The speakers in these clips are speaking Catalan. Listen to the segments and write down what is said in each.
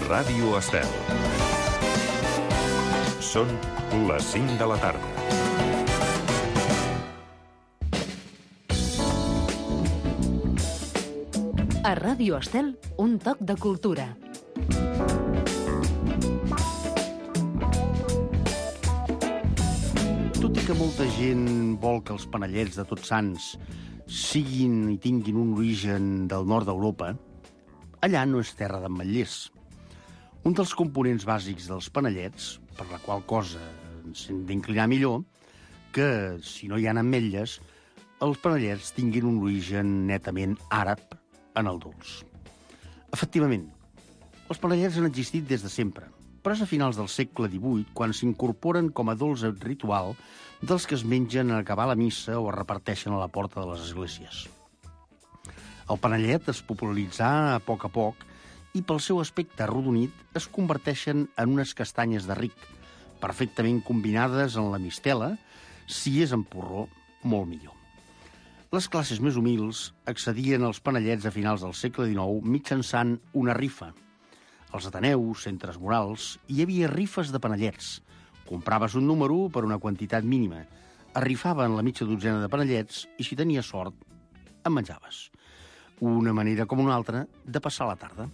Ràdio Estel. Són les 5 de la tarda. A Ràdio Estel, un toc de cultura. Tot i que molta gent vol que els panellets de Tots Sants siguin i tinguin un origen del nord d'Europa, allà no és terra d'ametllers. Un dels components bàsics dels panellets, per la qual cosa ens hem d'inclinar millor, que si no hi ha ametlles, els panellets tinguin un origen netament àrab en el dolç. Efectivament, els panellets han existit des de sempre, però és a finals del segle XVIII quan s'incorporen com a dolç ritual dels que es mengen en acabar la missa o es reparteixen a la porta de les esglésies. El panellet es popularitzà a poc i pel seu aspecte arrodonit es converteixen en unes castanyes de ric, perfectament combinades en la mistela, si és en porró, molt millor. Les classes més humils accedien als panellets a finals del segle XIX mitjançant una rifa. Als ateneus, centres morals, hi havia rifes de panellets. Compraves un número per una quantitat mínima, arrifaven la mitja dotzena de panellets i, si tenies sort, en menjaves. Una manera com una altra de passar la tarda.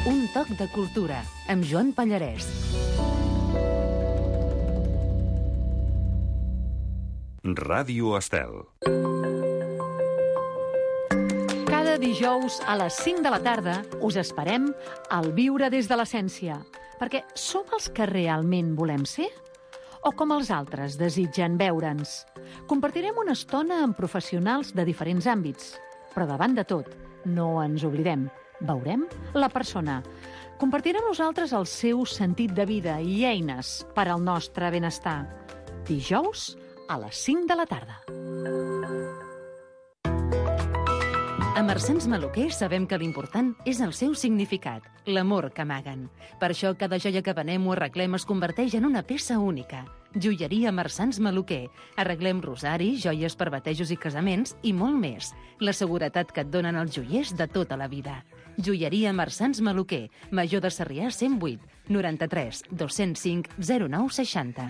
Un toc de cultura, amb Joan Pallarès. Ràdio Estel. Cada dijous a les 5 de la tarda us esperem al Viure des de l'Essència, perquè som els que realment volem ser? O com els altres desitgen veure'ns? Compartirem una estona amb professionals de diferents àmbits, però davant de tot, no ens oblidem, veurem la persona. Compartirà amb nosaltres el seu sentit de vida i eines per al nostre benestar. Dijous a les 5 de la tarda. A Marsans Maluquer sabem que l'important és el seu significat, l'amor que amaguen. Per això cada joia que venem o arreglem es converteix en una peça única. Joieria Marsans Maluquer. Arreglem rosaris, joies per batejos i casaments i molt més. La seguretat que et donen els joiers de tota la vida. Joieria Marsans Maluquer. Major de Sarrià 108 93 205 09 60.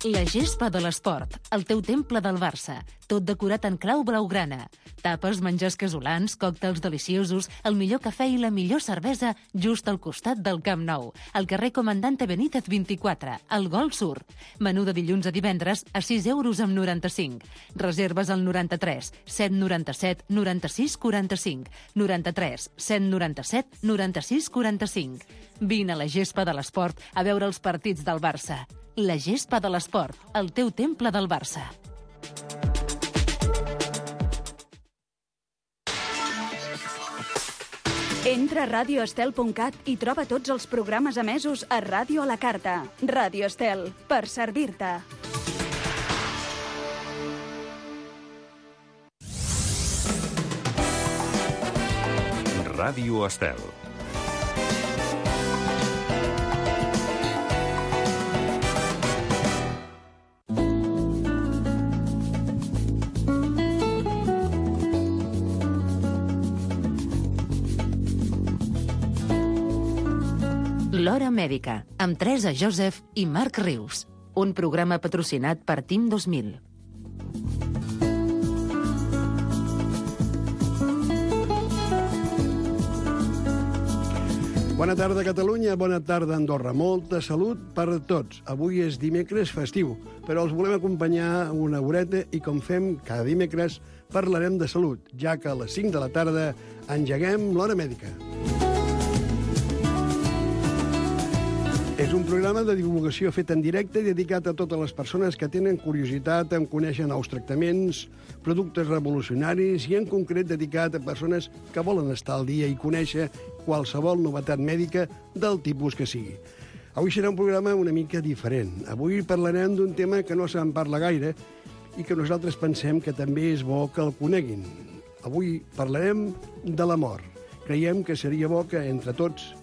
La gespa de l'esport, el teu temple del Barça, tot decorat en clau blaugrana. Tapes, menjars casolans, còctels deliciosos, el millor cafè i la millor cervesa just al costat del Camp Nou, al carrer Comandante Benítez 24, al Gol Sur. Menú de dilluns a divendres a 6 euros amb 95. Reserves al 93 797 96 45, 93 797 96 45. Vine a la gespa de l'esport a veure els partits del Barça. La gespa de l'esport, el teu temple del Barça. Entra a radioestel.cat i troba tots els programes emesos a Ràdio a la Carta. Ràdio Estel, per servir-te. Ràdio Estel. L'Hora Mèdica, amb Teresa Joseph i Marc Rius. Un programa patrocinat per Team 2000. Bona tarda, Catalunya. Bona tarda, Andorra. Molta salut per tots. Avui és dimecres festiu, però els volem acompanyar una horeta i, com fem cada dimecres, parlarem de salut, ja que a les 5 de la tarda engeguem l'Hora Mèdica. És un programa de divulgació fet en directe i dedicat a totes les persones que tenen curiositat en conèixer nous tractaments, productes revolucionaris i, en concret, dedicat a persones que volen estar al dia i conèixer qualsevol novetat mèdica del tipus que sigui. Avui serà un programa una mica diferent. Avui parlarem d'un tema que no se'n parla gaire i que nosaltres pensem que també és bo que el coneguin. Avui parlarem de la mort. Creiem que seria bo que, entre tots,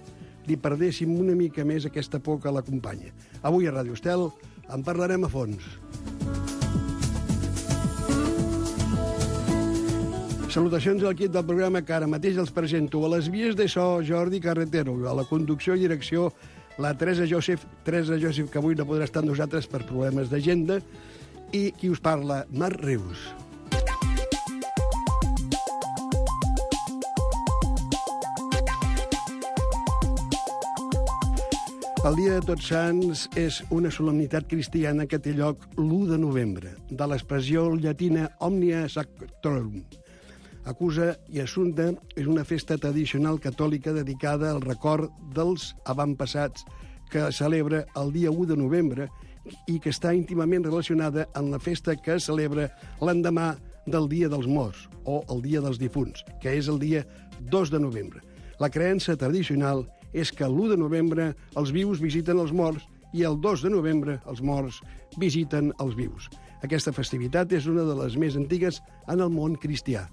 li perdéssim una mica més aquesta por que l'acompanya. Avui a Ràdio Estel en parlarem a fons. Salutacions al equip del programa que ara mateix els presento. A les vies de so, Jordi Carretero. A la conducció i direcció, la Teresa Joseph, que avui no podrà estar amb nosaltres per problemes d'agenda. I qui us parla, Marc Rius. El Dia de Tots Sants és una solemnitat cristiana que té lloc l'1 de novembre, de l'expressió llatina Omnia Sacrorum. Acusa i Assumpta és una festa tradicional catòlica dedicada al record dels avantpassats que celebra el dia 1 de novembre i que està íntimament relacionada amb la festa que es celebra l'endemà del Dia dels Morts, o el Dia dels Difunts, que és el dia 2 de novembre. La creença tradicional és que l'1 de novembre els vius visiten els morts i el 2 de novembre els morts visiten els vius. Aquesta festivitat és una de les més antigues en el món cristià.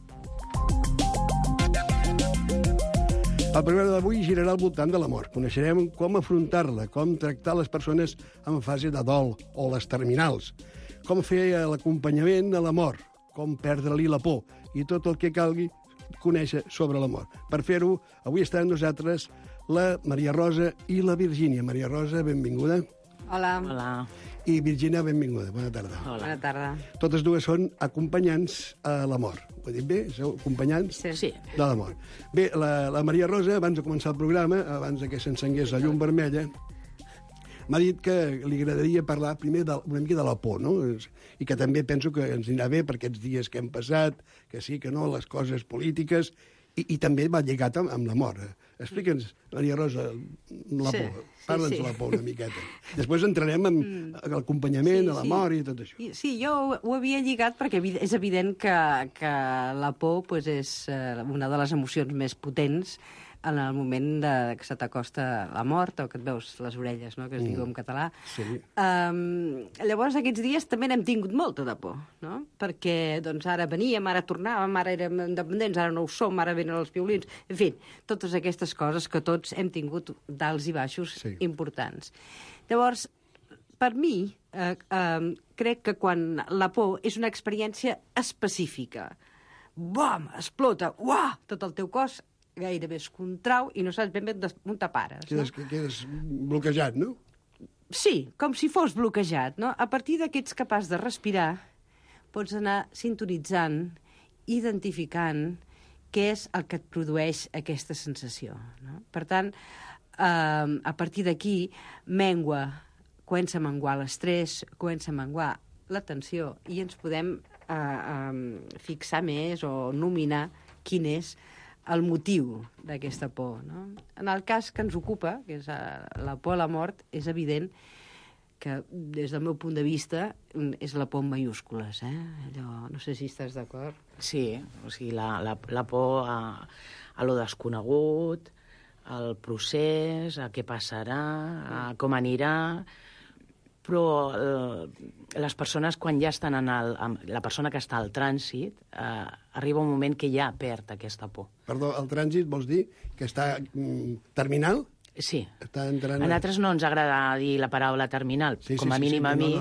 El programa d'avui girarà al voltant de la mort. Coneixerem com afrontar-la, com tractar les persones en fase de dol o les terminals, com fer l'acompanyament a la mort, com perdre-li la por i tot el que calgui conèixer sobre la mort. Per fer-ho, avui estan amb nosaltres la Maria Rosa i la Virgínia. Maria Rosa, benvinguda. Hola. Hola. I Virgínia, benvinguda. Bona tarda. Hola. Bona tarda. Totes dues són acompanyants a la mort. Ho he dit bé? Sou acompanyants Sí. de la mort. Bé, la Maria Rosa, abans de començar el programa, abans que s'encengués la llum vermella, m'ha dit que li agradaria parlar primer una mica de la por, no? I que també penso que ens anirà bé per aquests dies que hem passat, que sí, que no, les coses polítiques, i també va lligat amb la mort. Explica'ns, Maria Rosa, la por. Parla'ns de la por una miqueta. Després entrarem en l'acompanyament, a la mort i tot això. Sí, jo ho havia lligat perquè és evident que la por pues, és una de les emocions més potents en el moment que se t'acosta la mort o que et veus les orelles, no?, que es diu en català. Sí. Llavors, aquests dies també n'hem tingut molta de por, no? Perquè doncs, ara veníem, ara tornàvem, ara érem independents, ara no ho som, ara venen els violins... En fi, totes aquestes coses que tots hem tingut d'alts i baixos importants. Llavors, per mi, crec que quan la por és una experiència específica, bam, explota, uah, tot el teu cos gairebé es contrau i no saps ben bé on te pares. Quedes bloquejat, no? Sí, com si fos bloquejat, no? A partir que ets capaç de respirar, pots anar sintonitzant, identificant què és el que et produeix aquesta sensació, no? Per tant, a partir d'aquí, comença a menguar l'estrès, comença a menguar la tensió i ens podem fixar més o nominar quin és el motiu d'aquesta por, no? En el cas que ens ocupa, que és la por a la mort, és evident que, des del meu punt de vista, és la por en mayúscules, Allò, no sé si estàs d'acord. Sí, o sigui, la por a lo desconegut, al procés, a què passarà, a com anirà... Però les persones, quan ja estan la persona que està al trànsit, arriba un moment que ja perd aquesta por. Perdó, el trànsit vols dir que està terminal? Sí. Està entrant... A nosaltres no ens agrada dir la paraula terminal, com a mínim a mi,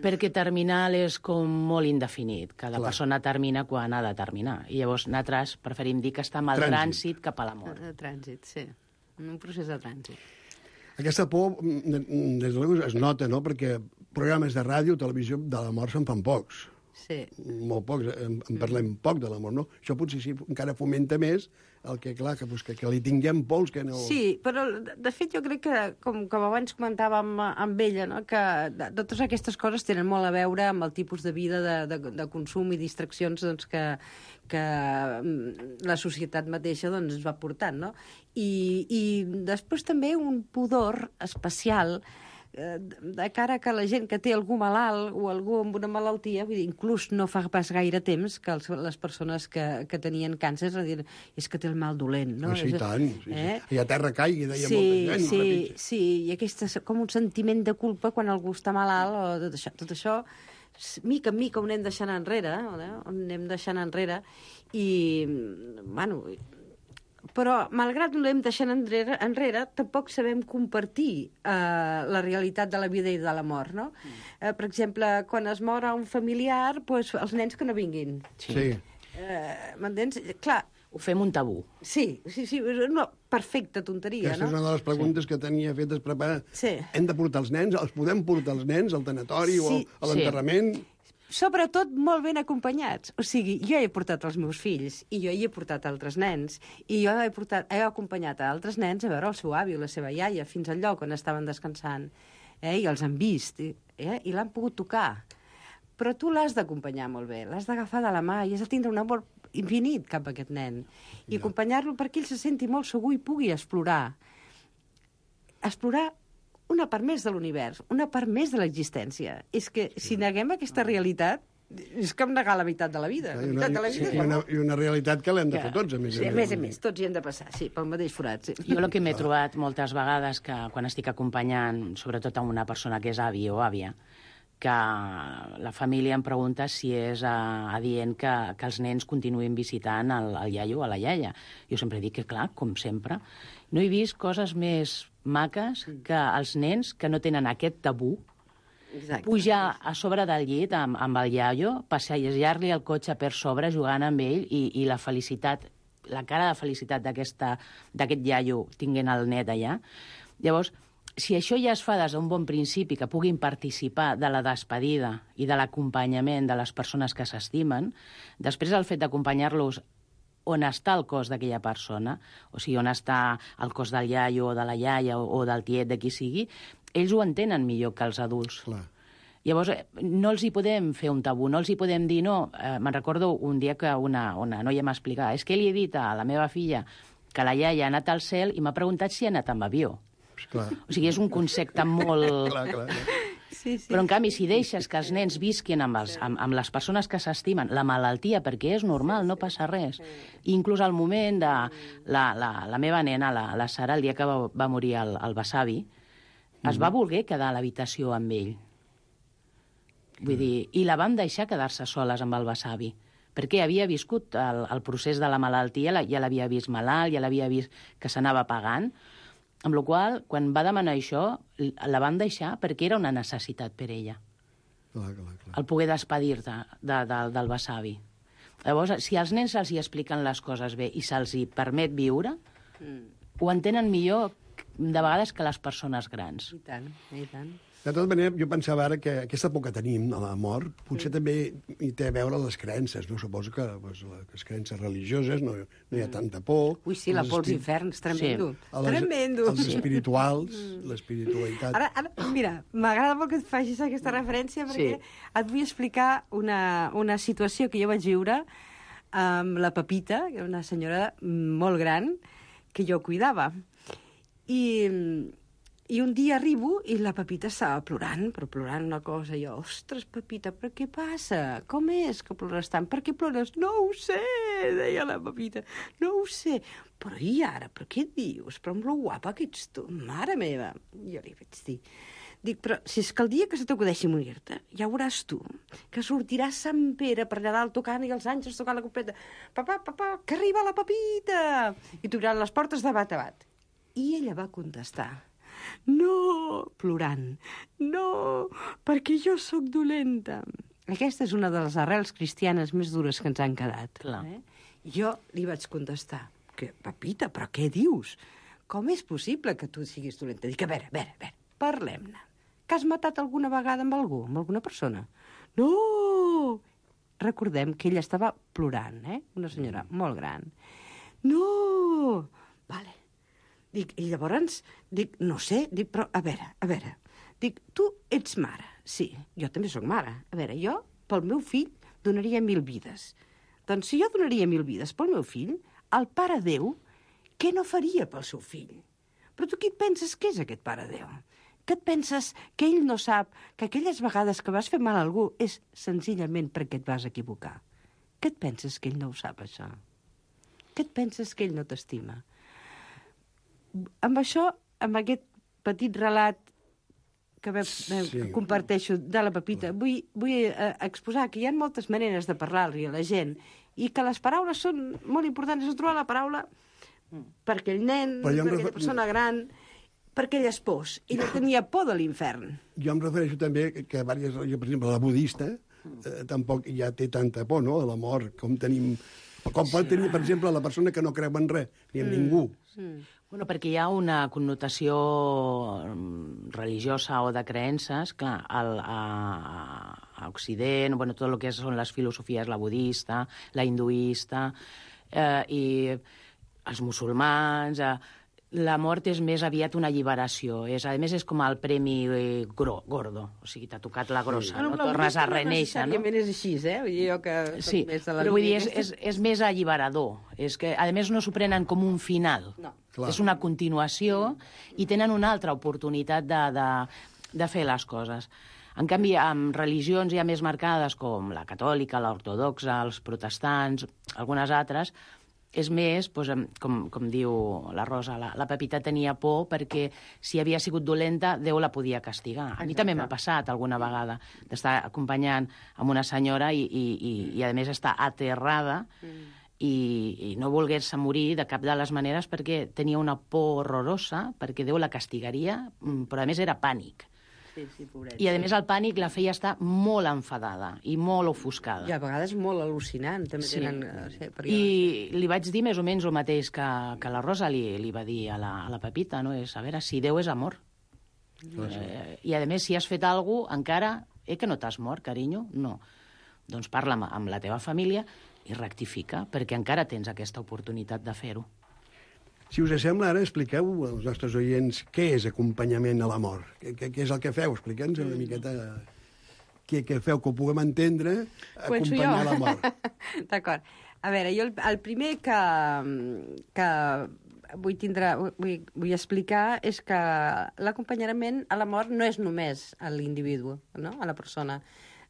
perquè terminal és com molt indefinit. Cada persona termina quan ha de terminar. I llavors nosaltres preferim dir que està amb el trànsit cap a la mort. El trànsit, sí. Un procés de trànsit. Aquesta por, des de l'ego, es nota, no?, perquè programes de ràdio o televisió de la mort se'n fan pocs. Sí. Molt pocs, en parlem poc de la mort, no? Això potser sí encara fomenta més el que, clar, que li tinguem pols, que no... Sí, però de fet jo crec que, com abans comentàvem amb ella, no?, que totes aquestes coses tenen molt a veure amb el tipus de vida de consum i distraccions doncs, que la societat mateixa doncs, ens va portant, no? I després també un pudor especial de cara que la gent que té algú malalt o algú amb una malaltia, vull dir, inclús no fa pas gaire temps que les persones que tenien càncer és que té el mal dolent, no? Sí, tant. I a terra caigui, deia molta gent. Sí, i aquest és com un sentiment de culpa quan algú està malalt o tot això, mica en mica ho anem deixant enrere, i, bueno... Però, malgrat ho anem deixant enrere, tampoc sabem compartir la realitat de la vida i de la mort, no? Per exemple, quan es mor un familiar, doncs, els nens que no vinguin. Sí. M'entens? Clar, Ho fem un tabú. sí, és una perfecta tonteria, Aquesta és no? una de les preguntes que tenia fetes preparar. Sí. Hem de portar els nens? Els podem portar els nens al tanatori o Sí. a l'enterrament? Sobretot molt ben acompanyats. O sigui, jo he portat els meus fills i jo hi he portat altres nens i jo he acompanyat a altres nens a veure el seu avi o la seva iaia fins al lloc on estaven descansant. I els han vist i l'han pogut tocar. Però tu l'has d'acompanyar molt bé, l'has d'agafar de la mà i has de tindre un amor infinit cap a aquest nen. I acompanyar-lo perquè ell se senti molt segur i pugui explorar. Explorar una part més de l'univers, una part més de l'existència. És que si neguem aquesta realitat, és com negar la meitat de la vida. La meitat de la vida és I una realitat que l'hem de fer tots, a més Sí, a més a més, tots hi hem de passar, sí, pel mateix forat. Sí. Jo el que m'he trobat moltes vegades que quan estic acompanyant, sobretot a una persona que és avi o àvia, que la família em pregunta si és adient que els nens continuïn visitant el iaio o la iaia. Jo sempre dic que, clar, com sempre, no he vist coses més maques que els nens que no tenen aquest tabú, Exacte. pujar a sobre del llit amb el iaio, passejar-li el cotxe per sobre jugant amb ell i la felicitat, la cara de felicitat d'aquest iaio tinguent el net allà. Llavors, si això ja es fa des d'un bon principi, que puguin participar de la despedida i de l'acompanyament de les persones que s'estimen, després el fet d'acompanyar-los on està el cos d'aquella persona, o sigui, on està el cos del iaio o de la iaia o del tiet, de qui sigui, ells ho entenen millor que els adults. Clar. Llavors, no els hi podem fer un tabú, no els hi podem dir no. Me'n recordo un dia que una noia m'explicava és que li he dit a la meva filla que la iaia ha anat al cel i m'ha preguntat si ha anat amb avió. Clar. O sigui, és un concepte molt... Clar. Sí, sí. Però, en canvi, si deixes que els nens visquin amb les persones que s'estimen, la malaltia, perquè és normal, no passa res. I inclús al moment de la meva nena, la Sara, el dia que va morir el besavi, es va voler quedar a l'habitació amb ell. Vull dir, i la vam deixar quedar-se soles amb el besavi, perquè havia viscut el procés de la malaltia, ja l'havia vist malalt, ja l'havia vist que s'anava pagant, amb la qual cosa, quan va demanar això, la van deixar perquè era una necessitat per ella. Clar. El poder despedir-te del besavi. Llavors, si als nens se'ls hi expliquen les coses bé i se'ls hi permet viure, ho entenen millor de vegades que les persones grans. I tant, i tant. De tota manera, jo pensava ara que aquesta por que tenim a la mort potser també hi té a veure les creences, no? Suposo que les creences religioses no hi ha tanta por. Ui, sí, la por als inferns, tremendo. Tremendo. Els espirituals, l'espiritualitat. Ara, mira, m'agrada molt que et facis aquesta referència perquè et vull explicar una situació que jo vaig viure amb la Pepita, que era una senyora molt gran, que jo cuidava. I un dia arribo i la Pepita estava plorant, però plorant una cosa. I jo, ostres, Pepita, però què passa? Com és que plores tant? Per què plores? No ho sé, deia la Pepita, no ho sé. Però i ara, però què et dius? Però amb lo guapa que ets tu, mare meva. Jo li vaig dir, dic, però si és que el dia que se t'acudeixi morir-te, ja veuràs tu, que sortirà Sant Pere per allà dalt tocant i els àngels tocant la completa. Papà, que arriba la Pepita! I t'obriran les portes de bat a bat. I ella va contestar, no, plorant, no, perquè jo sóc dolenta. Aquesta és una de les arrels cristianes més dures que ens han quedat. Clar. Jo li vaig contestar, que, Pepita, però què dius? Com és possible que tu siguis dolenta? Dic, a veure, parlem-ne. Que has matat alguna vegada amb algú, amb alguna persona? No! Recordem que ella estava plorant, una senyora molt gran. No! Vale. Dic, i llavors, dic, no sé, dic, però, a veure, dic, tu ets mare, sí, jo també sóc mare. A veure, jo, pel meu fill, donaria 1000 vides. Doncs si jo donaria 1000 vides pel meu fill, el Pare Déu, què no faria pel seu fill? Però tu qui et penses que és aquest Pare Déu? Què et penses que ell no sap que aquelles vegades que vas fer mal a algú és senzillament perquè et vas equivocar? Què et penses que ell no ho sap, això? Què et penses que ell no t'estima? Amb això, amb aquest petit relat que comparteixo de la Pepita, vull exposar que hi ha moltes maneres de parlar-li a la gent i que les paraules són molt importants. És trobar la paraula per aquell nen, per aquella persona gran, per aquelles pors. Ella tenia por de l'infern. Jo em refereixo també que per exemple, la budista tampoc ja té tanta por, no?, a la mort, com pot tenir, per exemple, la persona que no creu en res, ni en ningú. Bueno, perquè hi ha una connotació religiosa o de creences, clar, a Occident, bueno, tot el que són les filosofies, la budista, la hinduista, i els musulmans... La mort és més aviat una alliberació. A més, és com el premi gordo. O sigui, t'ha tocat la grossa, no? Tornes a renéixer, no? Necessàriament és així, Jo que sí, però vull dir, és més alliberador. És que, a més, no s'ho prenen com un final. No. És una continuació i tenen una altra oportunitat de fer les coses. En canvi, amb religions ja més marcades, com la catòlica, l'ortodoxa, els protestants, algunes altres, és més, doncs, com diu la Rosa, la Pepita tenia por perquè si havia sigut dolenta, Déu la podia castigar. A mi també m'ha passat alguna vegada d'estar acompanyant amb una senyora i a més, estar aterrada i no volguer-se morir de cap de les maneres perquè tenia una por horrorosa, perquè Déu la castigaria, però a més era pànic. Sí, pobret. I, a més, el pànic la feia estar molt enfadada i molt ofuscada. I a vegades molt al·lucinant, també Sí. tenen... I li vaig dir més o menys el mateix que la Rosa li va dir a la Pepita, no? És, a veure, si Déu és amor. I, a més, si has fet alguna cosa, encara... que no t'has mort, carinyo? No. Doncs parla amb la teva família i rectifica, perquè encara tens aquesta oportunitat de fer-ho. Si us sembla, ara expliqueu als nostres oients què és acompanyament a la mort. Què és el que feu? Expliqueu-nos una miqueta què feu, que ho puguem entendre, acompanyar la mort. D'acord. A veure, jo el primer que vull explicar és que l'acompanyament a la mort no és només a l'individu, no?, a la persona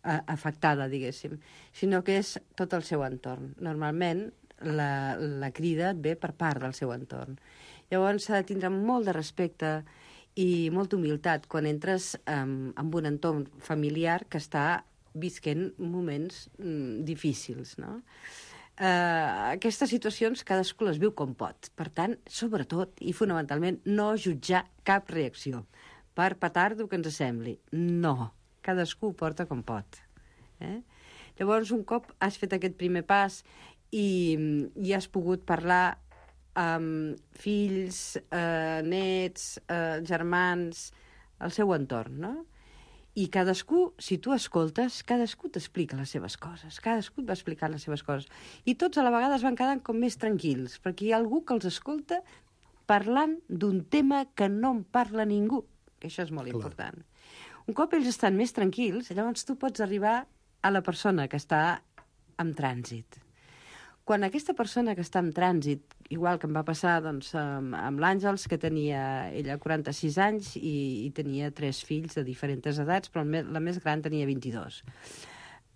afectada, diguéssim, sinó que és tot el seu entorn. Normalment, la crida et ve per part del seu entorn. Llavors s'ha de tindre molt de respecte i molta humilitat quan entres en un entorn familiar que està visquent moments difícils, no? Aquestes situacions cadascú les viu com pot. Per tant, sobretot i fonamentalment, no jutjar cap reacció. Per petardo que ens sembli. No. Cadascú ho porta com pot. Llavors, un cop has fet aquest primer pas i has pogut parlar amb fills, nets, germans, el seu entorn, no? I cadascú, si tu escoltes, cadascú t'explica les seves coses, cadascú et va explicant les seves coses. I tots a la vegada es van quedant com més tranquils, perquè hi ha algú que els escolta parlant d'un tema que no en parla ningú, que això és molt important. Un cop ells estan més tranquils, llavors tu pots arribar a la persona que està en trànsit. Quan aquesta persona que està en trànsit, igual que em va passar doncs, amb l'Àngels, que tenia ella 46 anys i tenia 3 fills de diferents edats, però la més gran tenia 22.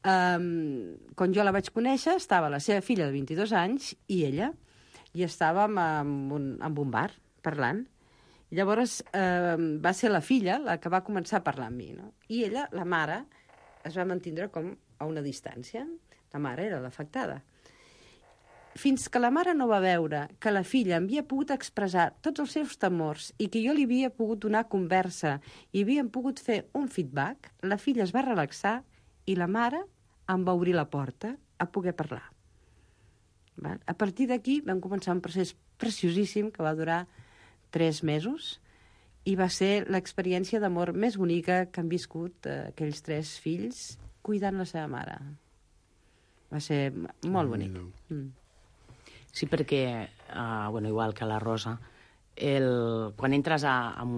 Quan jo la vaig conèixer, estava la seva filla de 22 anys i ella, i estàvem en un bar parlant. I llavors va ser la filla la que va començar a parlar amb mi, no? I ella, la mare, es va mantindre com a una distància. La mare era l'afectada. Fins que la mare no va veure que la filla havia pogut expressar tots els seus temors i que jo li havia pogut donar conversa i havíem pogut fer un feedback, la filla es va relaxar i la mare em va obrir la porta a poder parlar. A partir d'aquí vam començar un procés preciosíssim que va durar 3 mesos i va ser l'experiència d'amor més bonica que han viscut aquells 3 fills cuidant la seva mare. Va ser molt bonic. Sí, perquè, igual que la Rosa, quan entres en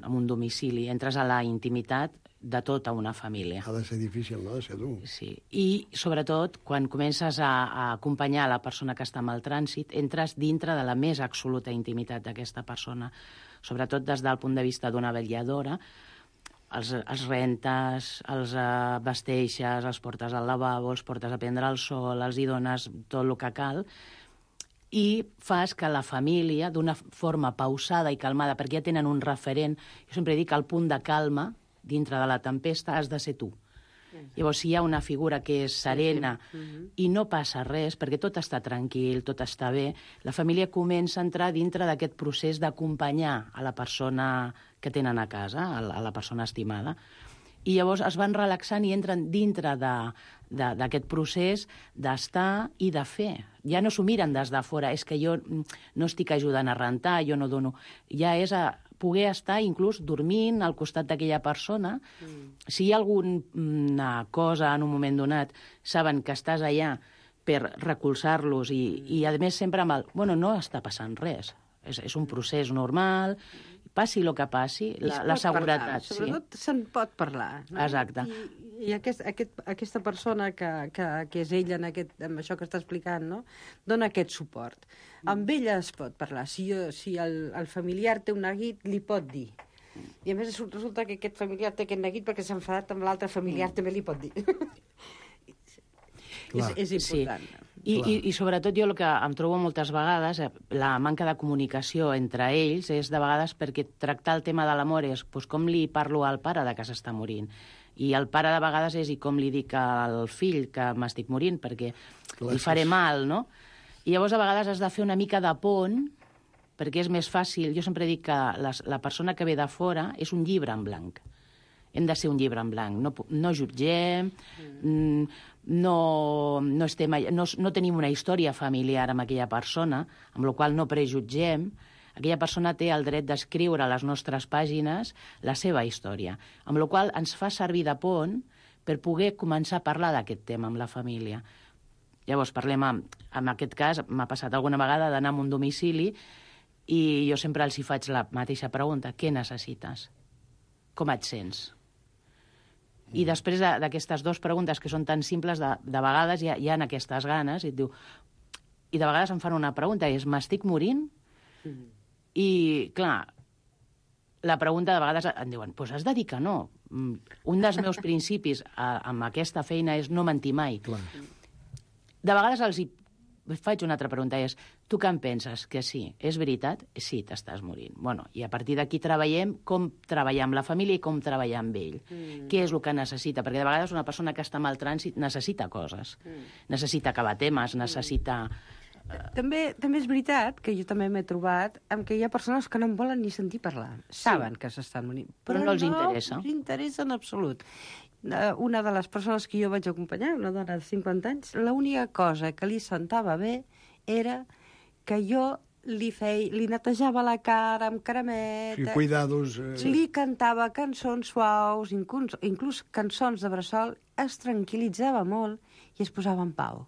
un domicili, entres a la intimitat de tota una família. Ha de ser difícil, no?, de ser dur. Sí, i sobretot, quan comences a acompanyar la persona que està en el trànsit, entres dintre de la més absoluta intimitat d'aquesta persona, sobretot des del punt de vista d'una vetlladora, els rentes, els vesteixes, els portes al lavabo, els portes a prendre el sol, els hi dones tot el que cal, i fas que la família, d'una forma pausada i calmada, perquè ja tenen un referent, jo sempre dic que el punt de calma, dintre de la tempesta, has de ser tu. Llavors, si hi ha una figura que és serena i no passa res, perquè tot està tranquil, tot està bé, la família comença a entrar dintre d'aquest procés d'acompanyar a la persona que tenen a casa, a la persona estimada, I llavors es van relaxant i entren dintre d'aquest procés d'estar i de fer. Ja no s'ho miren des de fora, és que jo no estic ajudant a rentar, jo no dono... Ja és a poder estar inclús dormint al costat d'aquella persona. Si hi ha alguna cosa en un moment donat, saben que estàs allà per recolzar-los i a més sempre amb el... Bueno, no està passant res. És un procés normal, passi el que passi, la seguretat. Parlar. Sobretot se'n pot parlar. No? Exacte. I aquesta persona que és ella amb això que està explicant, no? Dona aquest suport. Amb ella es pot parlar. Si el familiar té un neguit, li pot dir. I a més resulta que aquest familiar té aquest neguit perquè s'ha enfadat amb l'altre familiar, també li pot dir. És important. Sí. I sobretot jo el que em trobo moltes vegades, la manca de comunicació entre ells és de vegades perquè tractar el tema de l'amor és com li parlo al pare de que s'està morint. I el pare de vegades és com li dic al fill que m'estic morint perquè li faré mal, no? I llavors a vegades has de fer una mica de pont perquè és més fàcil. Jo sempre dic que la persona que ve de fora és un llibre en blanc. Hem de ser un llibre en blanc. No jutgem, no tenim una història familiar amb aquella persona, amb la qual no prejutgem. Aquella persona té el dret d'escriure a les nostres pàgines la seva història, amb la qual ens fa servir de pont per poder començar a parlar d'aquest tema amb la família. Llavors, parlem, en aquest cas, m'ha passat alguna vegada d'anar a un domicili i jo sempre els hi faig la mateixa pregunta: què necessites? Com et sents? I després d'aquestes dues preguntes que són tan simples, de vegades hi ha aquestes ganes i et diu... I de vegades em fan una pregunta i és: m'estic morint? I, clar, la pregunta de vegades em diuen: doncs has de dir que no. Un dels meus principis amb aquesta feina és no mentir mai. Clar. De vegades els faig una altra pregunta, és: tu què en penses? Que sí, és veritat? Sí, t'estàs morint. Bueno, i a partir d'aquí treballem com treballar amb la família i com treballar amb ell. Què és el que necessita? Perquè de vegades una persona que està en el trànsit necessita coses. Necessita acabar temes, necessita... També és veritat que jo també m'he trobat amb que hi ha persones que no en volen ni sentir parlar. Saben que s'estan morint. Però no els interessa. No els interessa en absolut. Una de les persones que jo vaig acompanyar, una dona de 50 anys, l'única cosa que li sentava bé era que jo li netejava la cara amb cremeta, Sí, cuidados... li cantava cançons suaus, inclús cançons de bressol, es tranquil·litzava molt i es posava en pau.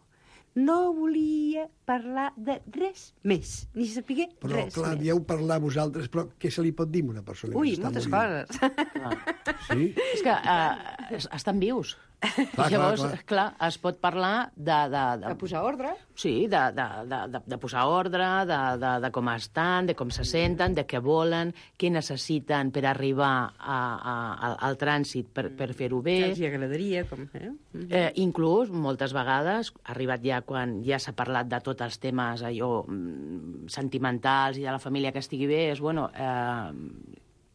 No volia parlar de res més, ni saber res més. Però, clar, dieu parlar vosaltres, però què se li pot dir a una persona que s'està moltes morint? coses. Sí? És que estan vius. Llavors, clar, es pot parlar De posar ordre. Sí, de posar ordre, de com estan, de com se senten, de què volen, què necessiten per arribar al trànsit per fer-ho bé. Que els agradaria, com... Inclús, moltes vegades, arribat ja quan ja s'ha parlat de tots els temes allò sentimentals i de la família que estigui bé, és, bueno,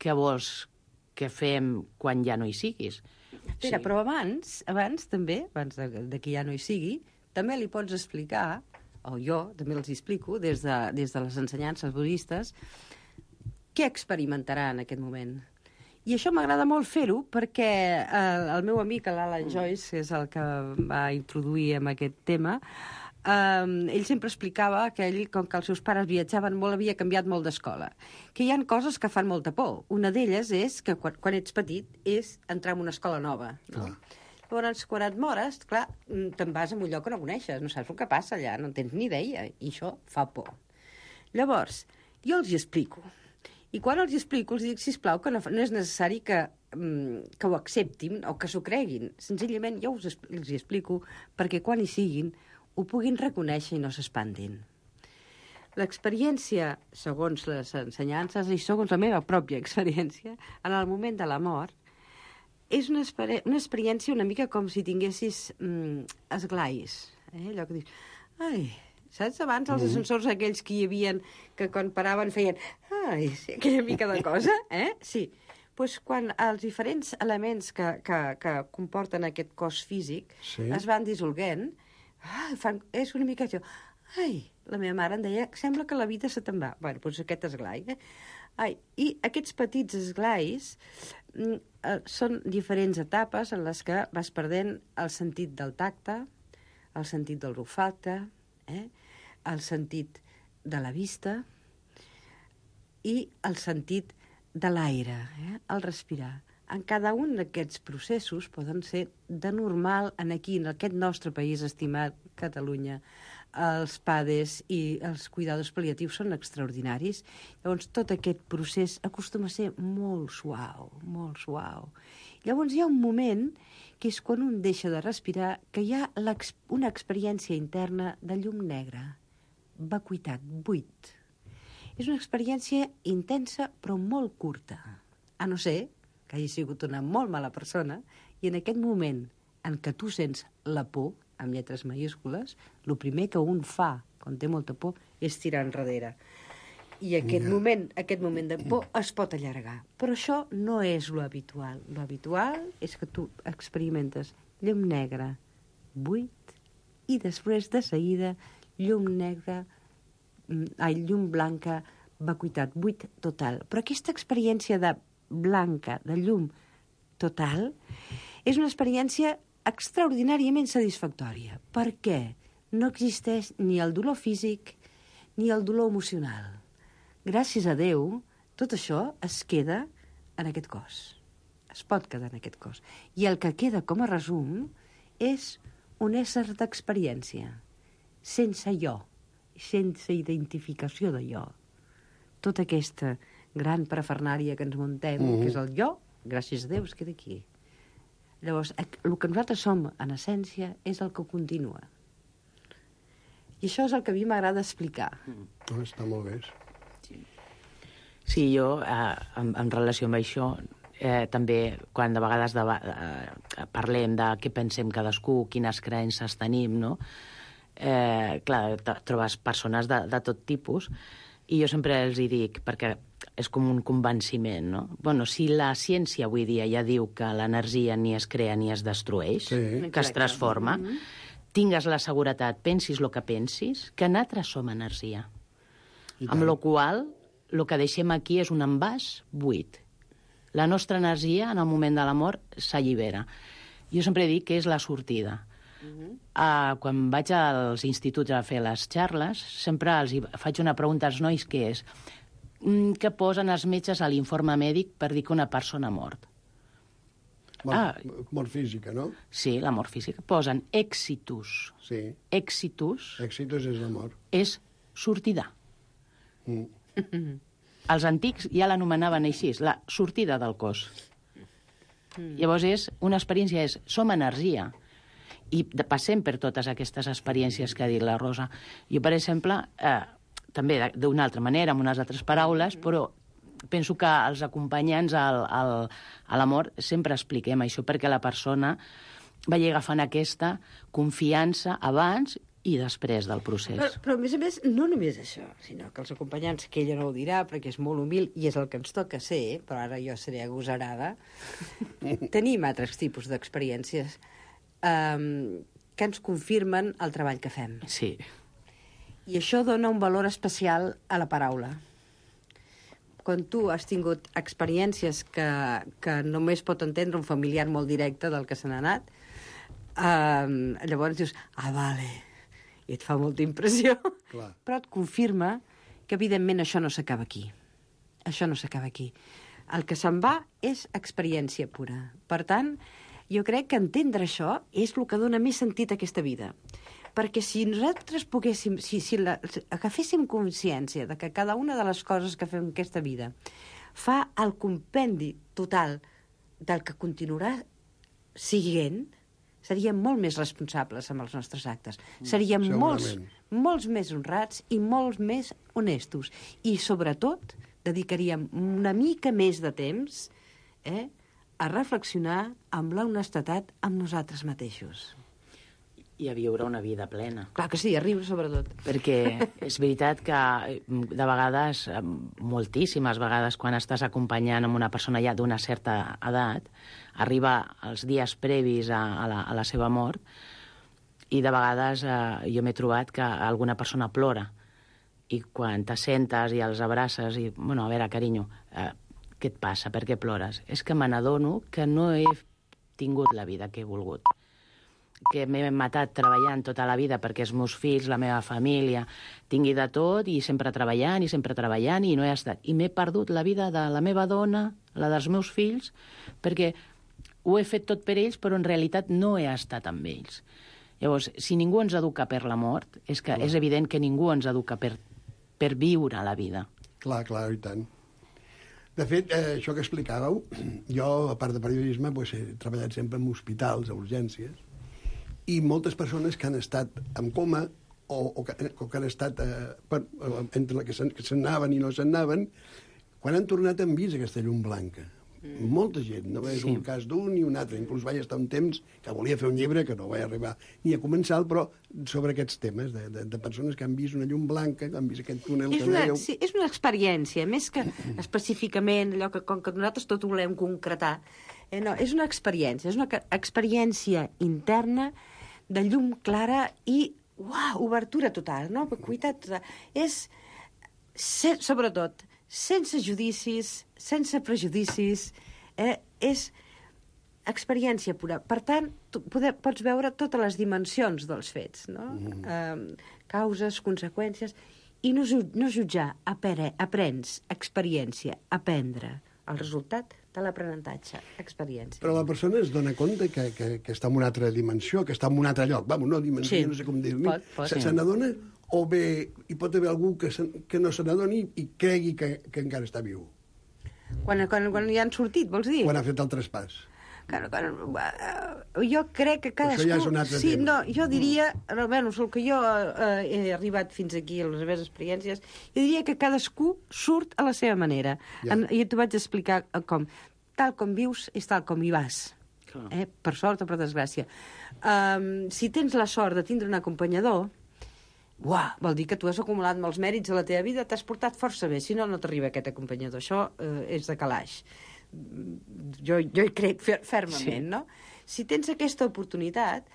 què vols que fem quan ja no hi siguis? Espera, però abans també, abans de que ja no hi sigui, també li pots explicar, o jo també els explico, des de les ensenyances budistes, què experimentarà en aquest moment. I això m'agrada molt fer-ho perquè el meu amic, l'Alan Joyce, que és el que va introduir en aquest tema, ell sempre explicava que ell, com que els seus pares viatjaven molt, havia canviat molt d'escola. Que hi ha coses que fan molta por. Una d'elles és que quan ets petit és entrar en una escola nova. No? Llavors, quan et mores, clar, te'n vas a un lloc que no coneixes, no saps el que passa allà, no tens ni idea, i això fa por. Llavors, jo els hi explico. I quan els hi explico, els dic, sisplau, que no és necessari que ho acceptin o que s'ho creguin. Senzillament jo els hi explico perquè quan hi siguin ho puguin reconèixer i no s'espantin. L'experiència, segons les ensenyances i segons la meva pròpia experiència, en el moment de la mort, és una experiència una mica com si tinguessis esglais. Allò que dius, ai, saps abans els ascensors aquells que hi havia que quan paraven feien, ai, sí, aquella mica de cosa, Sí. Doncs quan els diferents elements que comporten aquest cos físic es van dissolguent, és una mica això. Ai, la meva mare em deia, sembla que la vida se te'n va. Bé, doncs aquest esglai. I aquests petits esglais són diferents etapes en les que vas perdent el sentit del tacte, el sentit del olfacte, el sentit de la vista i el sentit de l'aire, el respirar. En cada un d'aquests processos poden ser de normal en aquest nostre país estimat, Catalunya. Els PADES i els cuidadors pal·liatius són extraordinaris. Llavors, tot aquest procés acostuma a ser molt suau, molt suau. Llavors, hi ha un moment que és quan un deixa de respirar, que hi ha una experiència interna de llum negra, vacuïtat, buit. És una experiència intensa, però molt curta. A no ser que hagi sigut una molt mala persona, i en aquest moment en què tu sents la por, amb lletres majúscules, el primer que un fa quan té molta por és tirar enrere. I aquest moment de por es pot allargar. Però això no és lo habitual. Lo habitual és que tu experimentes llum negra, buit, i després, de seguida, llum blanca, vacuïtat, buit total. Però aquesta experiència de blanca, de llum total, és una experiència extraordinàriament satisfactòria. Per què? No existeix ni el dolor físic ni el dolor emocional. Gràcies a Déu, tot això es queda en aquest cos. Es pot quedar en aquest cos. I el que queda com a resum és un ésser d'experiència, sense jo, sense identificació de jo. Tota aquesta gran parafernàlia que ens muntem, que és el jo, gràcies a Déu, es queda aquí. Llavors, el que nosaltres som, en essència, és el que continua. I això és el que a mi m'agrada explicar. Està molt bé. Sí, jo, en relació amb això, també, quan de vegades parlem de què pensem cadascú, quines creences tenim, no? Clar, trobes persones de tot tipus, i jo sempre els hi dic, perquè és com un convenciment, no? Bueno, si la ciència avui dia ja diu que l'energia ni es crea ni es destrueix, que es transforma, tingues la seguretat, pensis el que pensis, que nosaltres som energia. Amb la qual el que deixem aquí és un envàs buit. La nostra energia, en el moment de la mort, s'allibera. Jo sempre dic que és la sortida. Quan vaig als instituts a fer les xarles, sempre els faig una pregunta als nois, que és: què posen els metges a l'informe mèdic per dir que una persona ha mort? Mort física, no? Sí, la mort física. Posen exitus. Sí. Exitus. Exitus és la mort. És sortida. Els antics ja l'anomenaven així, la sortida del cos. Llavors una experiència som energia. I passem per totes aquestes experiències que ha dit la Rosa. Jo, per exemple, també d'una altra manera, amb unes altres paraules, però penso que els acompanyants a la mort sempre expliquem això, perquè la persona vagi agafant aquesta confiança abans i després del procés. Però a més, no només això, sinó que els acompanyants, que ella no ho dirà, perquè és molt humil, i és el que ens toca ser, però ara jo seré agosarada, tenim altres tipus d'experiències que ens confirmen el treball que fem. Sí. I això dona un valor especial a la paraula. Quan tu has tingut experiències que només pot entendre un familiar molt directe del que se n'ha anat, llavors dius, vale, i et fa molta impressió. Clar. Però et confirma que, evidentment, això no s'acaba aquí. Això no s'acaba aquí. El que se'n va és experiència pura. Per tant, jo crec que entendre això és el que dona més sentit a aquesta vida. Perquè si nosaltres poguéssim, si agaféssim consciència de que cada una de les coses que fem en aquesta vida fa el compendi total del que continuarà siguent, seríem molt més responsables amb els nostres actes. Seríem molts més honrats i molts més honestos. I, sobretot, dedicaríem una mica més de temps a reflexionar amb l'honestedat amb nosaltres mateixos. I a viure una vida plena. Clar que sí, a riure sobretot. Perquè és veritat que de vegades, moltíssimes vegades, quan estàs acompanyant amb una persona ja d'una certa edat, arriba els dies previs a la seva mort, i de vegades jo m'he trobat que alguna persona plora, I quan t'assentes i els abraces i, bueno, a veure, carinyo, què et passa? Per què plores? És que me n'adono que no he tingut la vida que he volgut, que m'he matat treballant tota la vida perquè els meus fills, la meva família, tingui de tot i sempre treballant i no he estat. I m'he perdut la vida de la meva dona, la dels meus fills, perquè ho he fet tot per ells, però en realitat no he estat amb ells. Llavors, si ningú ens educa per la mort, és que és evident que ningú ens educa per viure la vida. Clar, i tant. De fet, això que explicàveu, jo, a part de periodisme, he treballat sempre en hospitals, a urgències, i moltes persones que han estat en coma o que han estat entre que se'n anaven i no se'n anaven, quan han tornat han vist aquesta llum blanca. Molta gent, no és un cas d'un ni un altre. Inclús vaig estar un temps que volia fer un llibre, que no vaig arribar ni a començar, però sobre aquests temes, de persones que han vist una llum blanca, que han vist aquest túnel que dèieu. Sí, és una experiència, més que específicament allò que, com que nosaltres tot ho volem concretar, no, és una experiència interna de llum clara i, obertura total, no? Vacuïtat total. És, sobretot, sense judicis, sense prejudicis, és experiència pura. Per tant, pots veure totes les dimensions dels fets, no? Causes, conseqüències, i no jutjar, aprens, experiència, aprendre. El resultat de l'aprenentatge, experiència. Però la persona es dona compte que està en una altra dimensió, que està en un altre lloc. No dimensió, no sé com dir-li. Se n'adona o bé hi pot haver algú que no se n'adoni i cregui que encara està viu? Quan ja han sortit, vols dir? Quan ha fet el traspàs. Jo crec que cadascú... Això ja és un altre tema. No, jo diria, almenys el que jo he arribat fins aquí a les meves experiències, jo diria que cadascú surt a la seva manera. Ja. I t'ho vaig explicar com. Tal com vius és tal com hi vas. Per sort o per desgràcia. Si tens la sort de tindre un acompanyador, vol dir que tu has acumulat molts mèrits a la teva vida, t'has portat força bé, si no, no t'arriba aquest acompanyador. Això és de calaix. Jo hi crec fermament, no? Si tens aquesta oportunitat,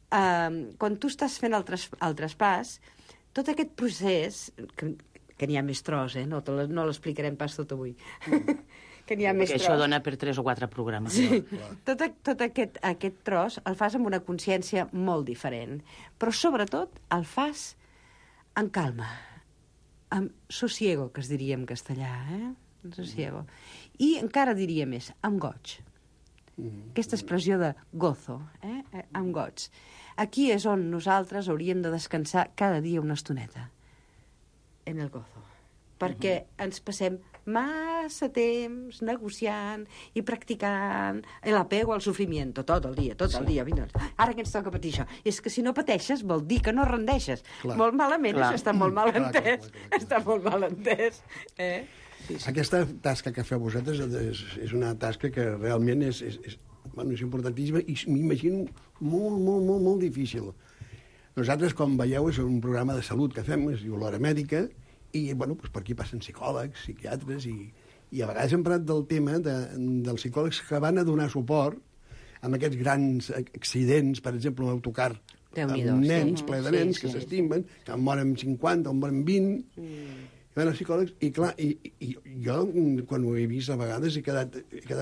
quan tu estàs fent el traspàs, tot aquest procés, que n'hi ha més tros, no l'explicarem pas tot avui, que n'hi ha més tros. Això dona per 3 o 4 programes. Sí. Tot aquest tros el fas amb una consciència molt diferent, però sobretot el fas en calma, amb sosiego, que es diria en castellà, sosiego. I encara diria més, amb goig. Aquesta expressió de gozo, amb goig. Aquí és on nosaltres hauríem de descansar cada dia una estoneta, en el gozo. Perquè ens passem massa temps negociant i practicant l'apego al sofrimiento tot el dia. Ara que ens toca patir això. És que si no pateixes vol dir que no rendeixes. Molt malament, això està molt mal entès. Està molt mal entès. Aquesta tasca que feu vosaltres és una tasca que realment és importantíssima i m'imagino molt difícil. Nosaltres, com veieu, és un programa de salut que fem, es diu l'Hora Mèdica, i per aquí passen psicòlegs, psiquiatres, i a vegades hem parlat del tema dels psicòlegs que van a donar suport amb aquests grans accidents, per exemple, un autocar amb nens, ple de nens que s'estimen, que en moren 50 o en moren 20... van els psicòlegs, i clar, i jo, quan ho he vist a vegades, he quedat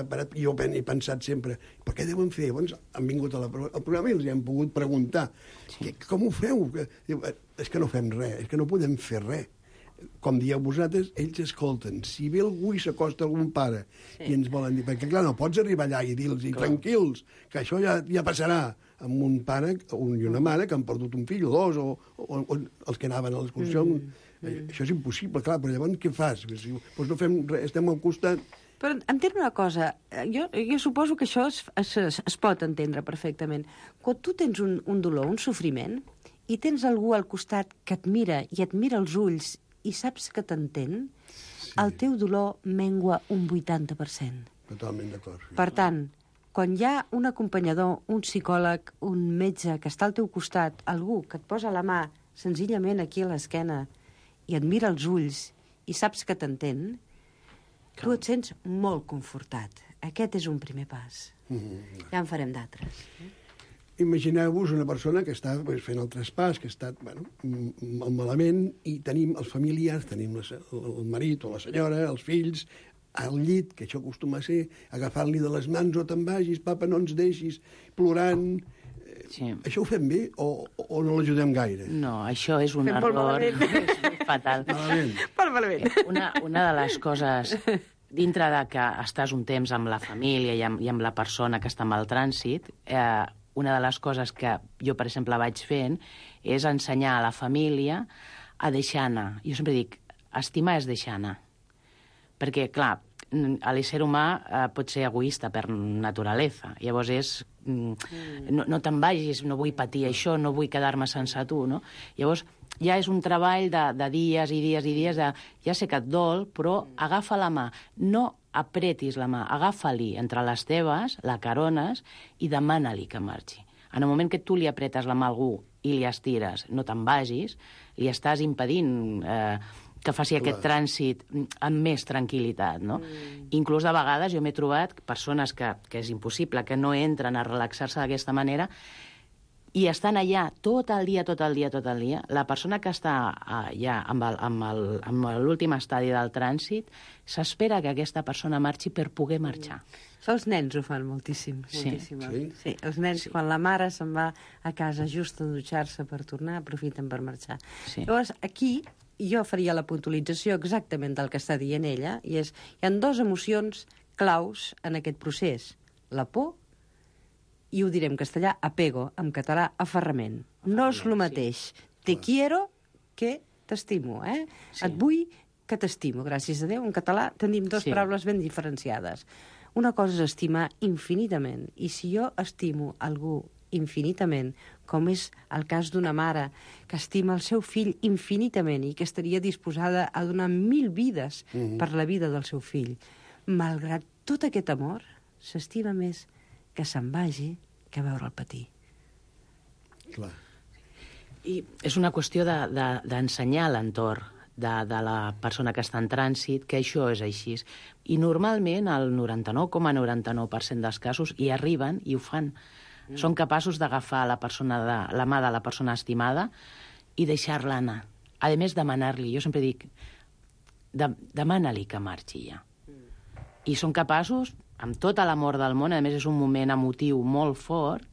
parat, i jo he pensat sempre, per què deuen fer? Llavors han vingut al programa i els hem pogut preguntar, com ho feu? És que no fem res, és que no podem fer res. Com dieu vosaltres, ells escolten. Si ve algú i s'acosta algun pare i ens volen dir, perquè clar, no pots arribar allà i dir-los tranquils, que això ja passarà amb un pare i una mare que han perdut un fill o dos, o els que anaven a l'excursió. Això és impossible, clar, però llavors què fas? Doncs no fem res, estem al costat. Però entén una cosa, jo suposo que això es pot entendre perfectament. Quan tu tens un dolor, un sofriment, i tens algú al costat que et mira i et mira els ulls i saps que t'entén, el teu dolor mengua un 80%. Totalment d'acord. Per tant, quan hi ha un acompanyador, un psicòleg, un metge que està al teu costat, algú que et posa la mà senzillament aquí a l'esquena i et mira els ulls i saps que t'entén, tu et sents molt confortat. Aquest és un primer pas. Ja en farem d'altres. imagineu-vos una persona que està fent el traspàs, que està malament, i tenim els familiars, tenim el marit o la senyora, els fills, al llit, que això acostuma a ser, agafant-li de les mans, o te'n vagis, papa, no ens deixis, plorant. Sí. Això ho fem bé o no l'ajudem gaire? No, això és un error fatal. Malament. Una de les coses, dintre de que estàs un temps amb la família i amb la persona que està amb el trànsit, una de les coses que jo, per exemple, vaig fent és ensenyar a la família a deixar anar. Jo sempre dic, estimar és deixar anar. Perquè, clar, l'ésser humà pot ser egoista per naturalesa. Llavors és... No te'n vagis, no vull patir això, no vull quedar-me sense tu, no? Llavors ja és un treball de dies i dies i dies de... Ja sé que et dol, però agafa la mà. No apretis la mà, agafa-li entre les teves, la carones, i demana-li que marxi. En el moment que tu li apretes la mà a algú i li estires, no te'n vagis, li estàs impedint... que faci aquest trànsit amb més tranquil·litat, no? Inclús de vegades jo m'he trobat persones que és impossible, que no entren a relaxar-se d'aquesta manera i estan allà tot el dia. La persona que està ja amb l'últim estadi del trànsit s'espera que aquesta persona marxi per poder marxar. Els nens ho fan moltíssim. Sí. Els nens, quan la mare se'n va a casa just a dutxar-se per tornar, aprofiten per marxar. Sí. Llavors, aquí jo faria la puntualització exactament del que està dient ella, i és, hi ha dues emocions claus en aquest procés. La por, i ho diré en castellà, apego, en català, aferrament. No és el mateix. Te quiero que t'estimo, eh? Sí. Et vull que t'estimo, gràcies a Déu. En català tenim dues paraules ben diferenciades. Una cosa és estimar infinitament, i si jo estimo algú infinitament, com és el cas d'una mare que estima el seu fill infinitament i que estaria disposada a donar 1000 vides per la vida del seu fill. Malgrat tot aquest amor, s'estima més que se'n vagi que veure'l patir. Clar. I és una qüestió d'ensenyar l'entorn de la persona que està en trànsit, que això és així. I normalment el 99,99% dels casos hi arriben i ho fan. Són capaços d'agafar la mà de la persona estimada i deixar-la anar. A més, demanar-li. Jo sempre dic, demana-li que marxi ja. I són capaços, amb tot l'amor del món, a més és un moment emotiu molt fort,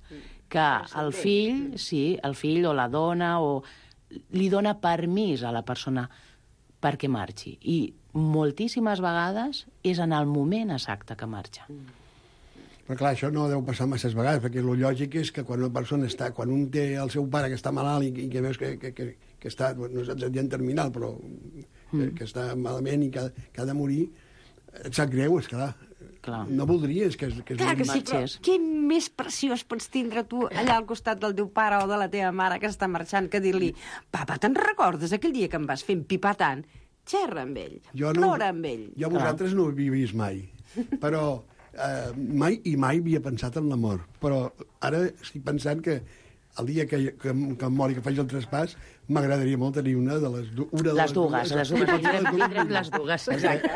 que el fill o la dona li dona permís a la persona perquè marxi. I moltíssimes vegades és en el moment exacte que marxa. Però clar, això no deu passar masses vegades, perquè el lògic és que quan una persona està, quan un té el seu pare que està malalt i que veus que està, no és dient terminal, però que està malament i que ha de morir, et sap greu, esclar. No voldries que clar que sí, però què més preciós pots tindre tu allà al costat del teu pare o de la teva mare que està marxant que dir-li, papa, te'n recordes aquell dia que em vas fer empipar tant? Xerra amb ell, plora amb ell. Jo vosaltres no ho he vist mai, però... mai havia pensat en l'amor, però ara estic pensant que el dia que em mori, que faig el traspàs, m'agradaria molt tenir una de les dues. Les tindrem les dues, exacte.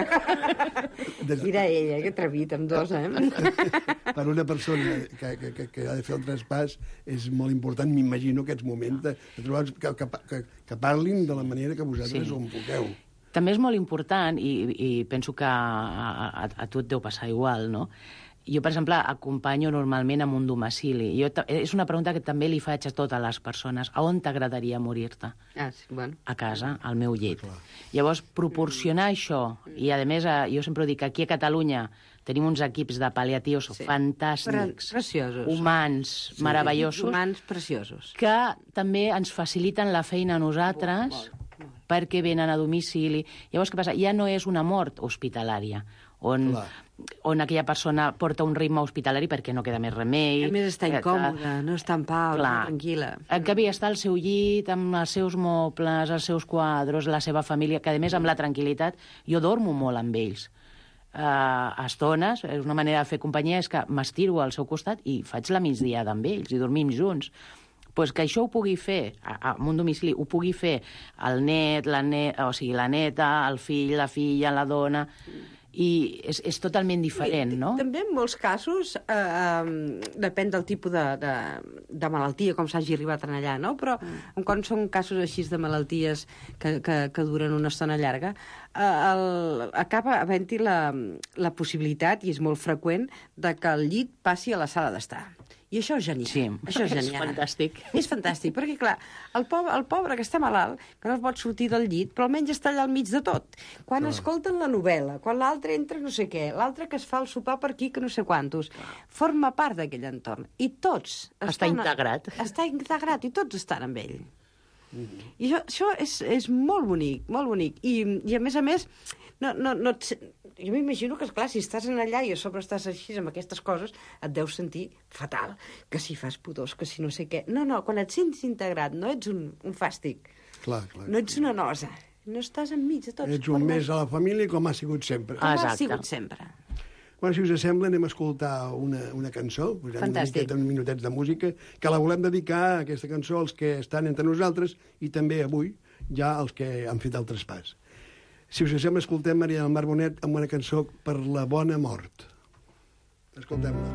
Dirà ella, que atrevit, amb dos, Per una persona que ha de fer el traspàs és molt important, m'imagino, aquests moments de trobar que parlin de la manera que vosaltres ho enfoqueu. També és molt important, i penso que a tu et deu passar igual, no? Jo, per exemple, acompanyo normalment amb un domicili. És una pregunta que també li faig a totes les persones. A on t'agradaria morir-te? A casa, al meu llit. Llavors, proporcionar això, i a més, jo sempre dic que aquí a Catalunya tenim uns equips de pal·liatius fantàstics, humans, meravellosos, humans preciosos, que també ens faciliten la feina a nosaltres, perquè venen a domicili. Llavors, què passa? Ja no és una mort hospitalària, on aquella persona porta un ritme hospitalari perquè no queda més remei. A més, està incòmoda, no està en pau, tranquil·la. En canvi, està al seu llit, amb els seus mobles, els seus quadros, la seva família, que a més, amb la tranquil·litat, jo dormo molt amb ells. A estones, és una manera de fer companyia, és que m'estiro al seu costat i faig la migdiada amb ells i dormim junts. Pues que això ho pugui fer, en un domicili, ho pugui fer el net, o sigui, la neta, el fill, la filla, la dona, i és totalment diferent, no? També en molts casos depèn del tipus de malaltia, com s'hagi arribat allà, no? Però quan són casos així de malalties que duren una estona llarga, acaba havent-hi la possibilitat, i és molt freqüent, de que el llit passi a la sala d'estar. I això és genial. Sí, això és genial. És fantàstic. És fantàstic, perquè, clar, el pobre que està malalt, que no pot sortir del llit, però almenys està allà al mig de tot. Quan escolten la novel·la, quan l'altre entra no sé què, l'altre que es fa el sopar per aquí que no sé quantos, forma part d'aquell entorn. I tots... Està integrat. Està integrat i tots estan amb ell. I això és molt bonic, molt bonic. I a més, jo m'imagino que, esclar, si estàs allà i a sobre estàs així amb aquestes coses, et deus sentir fatal, que si fas pudors, que si no sé què. No, quan et sents integrat, no ets un fàstic. Clar. No ets una nosa. No estàs enmig de tots. Ets un més a la família com ha sigut sempre. Com ha sigut sempre. Bueno, si us sembla, anem a escoltar una cançó, posem uns minutets de música, que la volem dedicar, aquesta cançó, als que estan entre nosaltres i també avui ja als que han fet el traspàs. Si us sembla, escoltem Maria del Mar Bonet amb una cançó per la bona mort. Escoltem-la.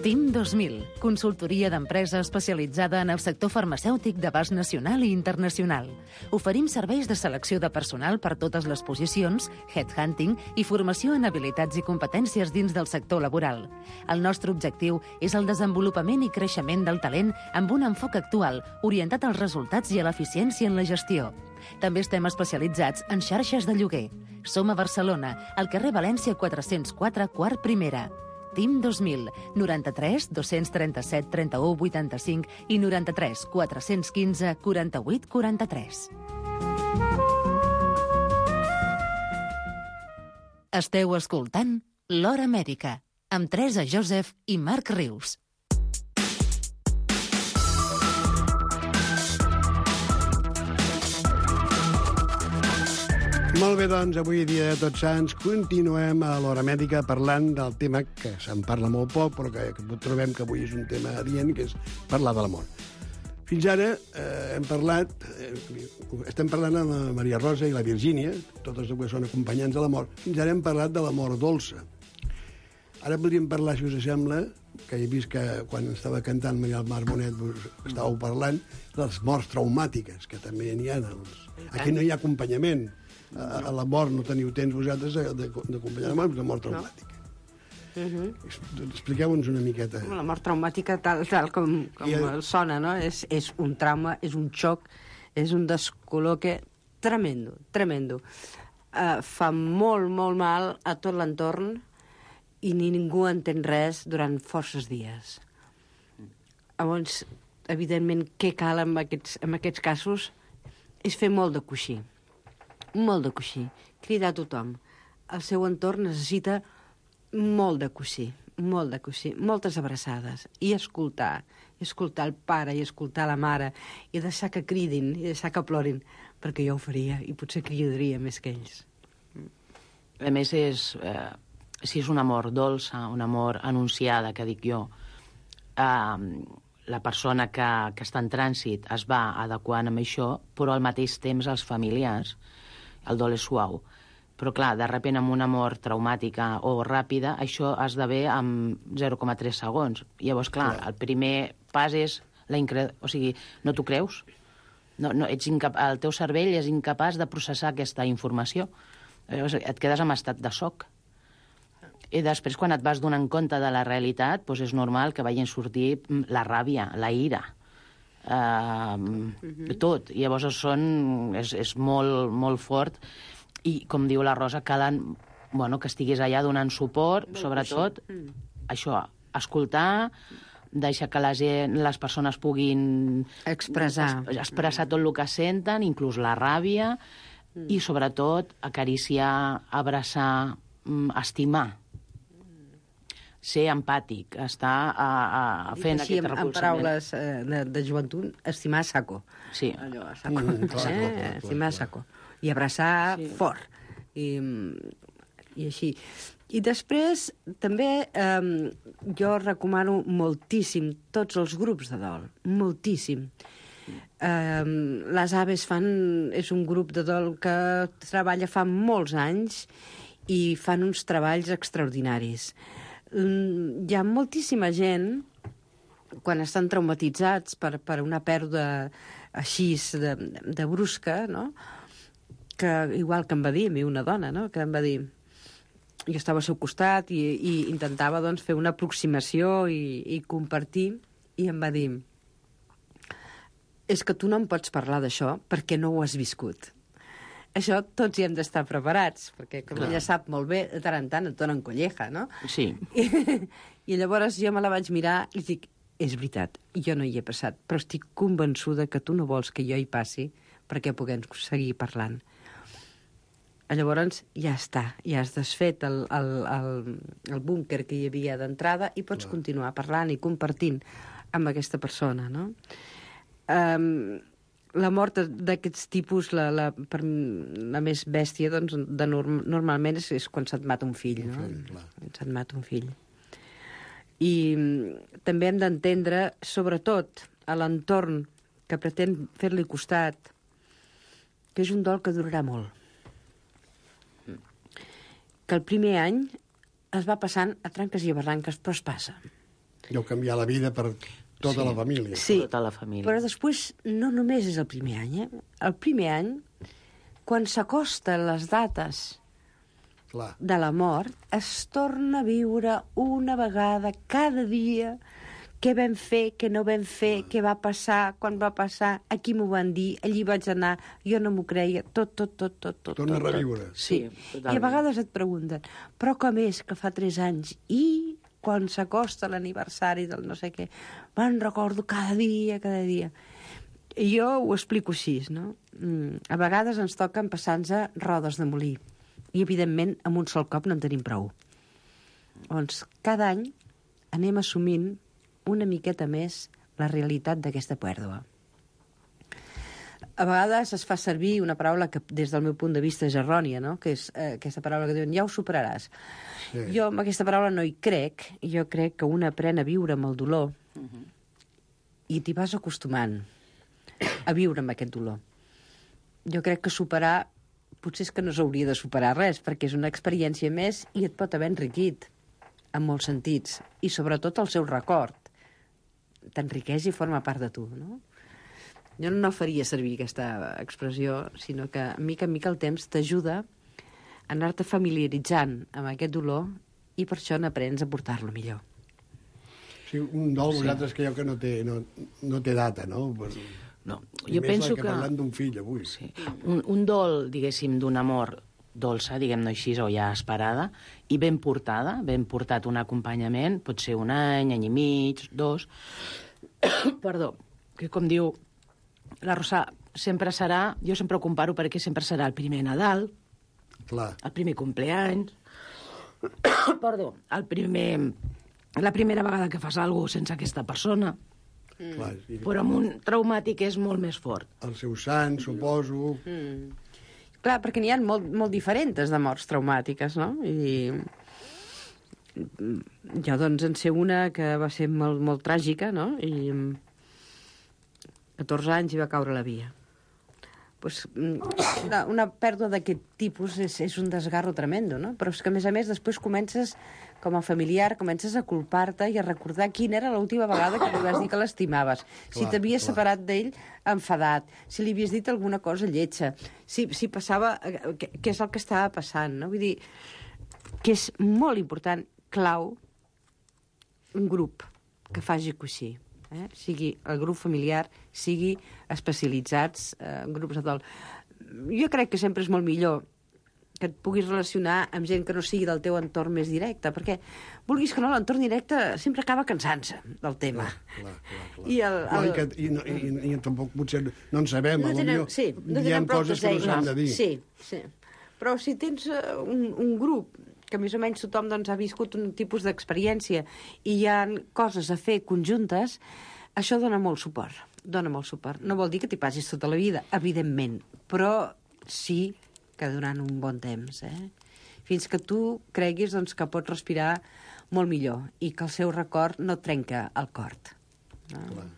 TIM 2000, consultoria d'empresa especialitzada en el sector farmacèutic d'abast nacional i internacional. Oferim serveis de selecció de personal per totes les posicions, headhunting i formació en habilitats i competències dins del sector laboral. El nostre objectiu és el desenvolupament i creixement del talent amb un enfoc actual, orientat als resultats i a l'eficiència en la gestió. També estem especialitzats en xarxes de lloguer. Som a Barcelona, al carrer València 404, quart primera. TIM 2000, 93 237 31 85 i 93 415 48 43. Esteu escoltant L'Hora Mèdica, amb Teresa Joseph i Marc Rius. Molt bé, doncs, avui dia de Tots Sants continuem a l'Hora Mèdica parlant del tema que se'n parla molt poc, però que trobem que avui és un tema adient, que és parlar de la mort. Fins ara estem parlant amb la Maria Rosa i la Virgínia, totes dues són acompanyants de la mort. Fins ara hem parlat de la mort dolça. Ara podríem parlar, si us sembla, que he vist que quan estava cantant Maria del Mar Bonet estàveu parlant de les morts traumàtiques, que també n'hi ha. Aquí no hi ha acompanyament. A la mort no teniu temps vosaltres d'acompanyar la mort, la mort traumàtica. Expliqueu-nos una miqueta. La mort traumàtica, tal com sona, no? És un trauma, és un xoc, és un descol·loque tremendo, tremendo. Fa molt, molt mal a tot l'entorn i ningú entén res durant forces dies. Llavors, evidentment, què cal en aquests casos és fer molt de coixí. Molt de coixí. Cridar a tothom. El seu entorn necessita molt de coixí. molt de coixí, moltes abraçades, i escoltar el pare i escoltar la mare, i deixar que cridin, i deixar que plorin, perquè jo ho faria, i potser cridaria més que ells. A més, si és una mort dolça, una mort anunciada, que dic jo, la persona que està en trànsit es va adequant amb això, però al mateix temps els familiars, el dol és suau. Però, clar, de sobte amb una mort traumàtica o ràpida, això esdevé en 0,3 segons. Llavors, clar, el primer pas és o sigui, no t'ho creus? No, el teu cervell és incapaç de processar aquesta informació. Llavors, et quedes en estat de xoc. I després, quan et vas donant compte de la realitat, doncs és normal que vagin sortir la ràbia, la ira, tot. I llavors és molt, molt fort. I, com diu la Rosa, calen que estiguis allà donant suport, sobretot, això, escoltar, deixar que les persones puguin expressar tot el que senten, inclús la ràbia, i, sobretot, acariciar, abraçar, estimar, ser empàtic, estar fent aquest recolzament. En paraules de joventut, estimar a saco. Sí. Allò, a saco. Estimar a saco. I abraçar fort. I així. I després, també, jo recomano moltíssim tots els grups de dol. Moltíssim. Les Aves és un grup de dol que treballa fa molts anys i fan uns treballs extraordinaris. Hi ha moltíssima gent, quan estan traumatitzats per una pèrdua així de brusca, no? Que igual que em va dir a mi una dona, no? Que em va dir, jo estava al seu costat i intentava fer una aproximació i compartir, i em va dir, és que tu no em pots parlar d'això perquè no ho has viscut. Això tots hi hem d'estar preparats, perquè com ella sap molt bé, de tant en tant et donen colleja, no? Sí. I llavors jo me la vaig mirar i dic, és veritat, jo no hi he passat, però estic convençuda que tu no vols que jo hi passi perquè puguem seguir parlant. Llavors ja està, ja has desfet el búnquer que hi havia d'entrada i pots continuar parlant i compartint amb aquesta persona, no? La mort d'aquests tipus, la més bèstia, doncs, normalment és quan se't mata un fill, no? Se't mata un fill. I també hem d'entendre, sobretot, a l'entorn que pretén fer-li costat, que és un dol que durarà molt. Que el primer any es va passant a tranques i a barranques, però es passa. Deu canviar la vida per tota la família. Sí, tota la família. Però després no només és el primer any, eh? El primer any, quan s'acosten les dates de la mort, es torna a viure una vegada cada dia què vam fer, què no vam fer, què va passar, quan va passar, aquí m'ho van dir, allí vaig anar, jo no m'ho creia, tot. Torna a reviure. Sí, i a vegades et pregunten, però com és que fa 3 anys i quan s'acosta l'aniversari del no sé què, me'n recordo cada dia. I jo ho explico així, no? A vegades ens toquen passar-nos rodes de molí i, evidentment, amb un sol cop no en tenim prou. Llavors, cada any anem assumint una miqueta més la realitat d'aquesta pèrdua. A vegades es fa servir una paraula que, des del meu punt de vista, és errònia, no? Que és aquesta paraula que diuen, ja ho superaràs. Sí. Jo amb aquesta paraula no hi crec. Jo crec que un aprèn a viure amb el dolor i t'hi vas acostumant a viure amb aquest dolor. Jo crec que superar potser és que no s'hauria de superar res, perquè és una experiència més i et pot haver enriquit en molts sentits. I sobretot el seu record t'enriqueix i forma part de tu, no? Jo no faria servir aquesta expressió, sinó que mica en mica el temps t'ajuda a anar-te familiaritzant amb aquest dolor i per això n'aprens a portar-lo millor. Sí, un dol, vosaltres creieu que no té data, no? No, jo penso que... parlant d'un fill avui. Sí. Un dol, diguéssim, d'un amor dolça, diguem-ne així, o ja esperada, i ben portada, ben portat un acompanyament, pot ser un any i mig, 2... Perdó, que com diu la Rosa, sempre serà, jo sempre ho comparo perquè sempre serà el primer Nadal, el primer compleany, perdó, el primer la primera vegada que fas alguna cosa sense aquesta persona. Clar, i Però amb un traumàtic és molt més fort. el seu sant, suposo... Clar, perquè n'hi ha molt diferents de morts traumàtiques, no? I jo, doncs, en sé una que va ser molt tràgica, no? I amb 14 anys hi va caure a la via. Pues, una pèrdua d'aquest tipus és un desgarro tremendo, no? Però és que, a més, després comences, com a familiar, comences a culpar-te i a recordar quina era l'última vegada que li vas dir que l'estimaves. Si t'havies separat d'ell enfadat, si li havies dit alguna cosa lletja, si passava... què és el que estava passant, no? Vull dir, que és molt important, clau, un grup que faci coixí. Sigui el grup familiar, sigui especialitzats, grups de dol. Jo crec que sempre és molt millor que et puguis relacionar amb gent que no sigui del teu entorn més directe, perquè, vulguis que no, l'entorn directe sempre acaba cansant-se del tema. Clar. I I tampoc potser no en sabem, no diem coses que no s'han de dir. Sí. Però si tens un grup que més o menys tothom doncs, ha viscut un tipus d'experiència i hi ha coses a fer conjuntes, això dona molt suport. No vol dir que t'hi passis tota la vida, evidentment, però sí que durant un bon temps, fins que tu creguis doncs, que pots respirar molt millor i que el seu record no et trenca el cor. No? Clar.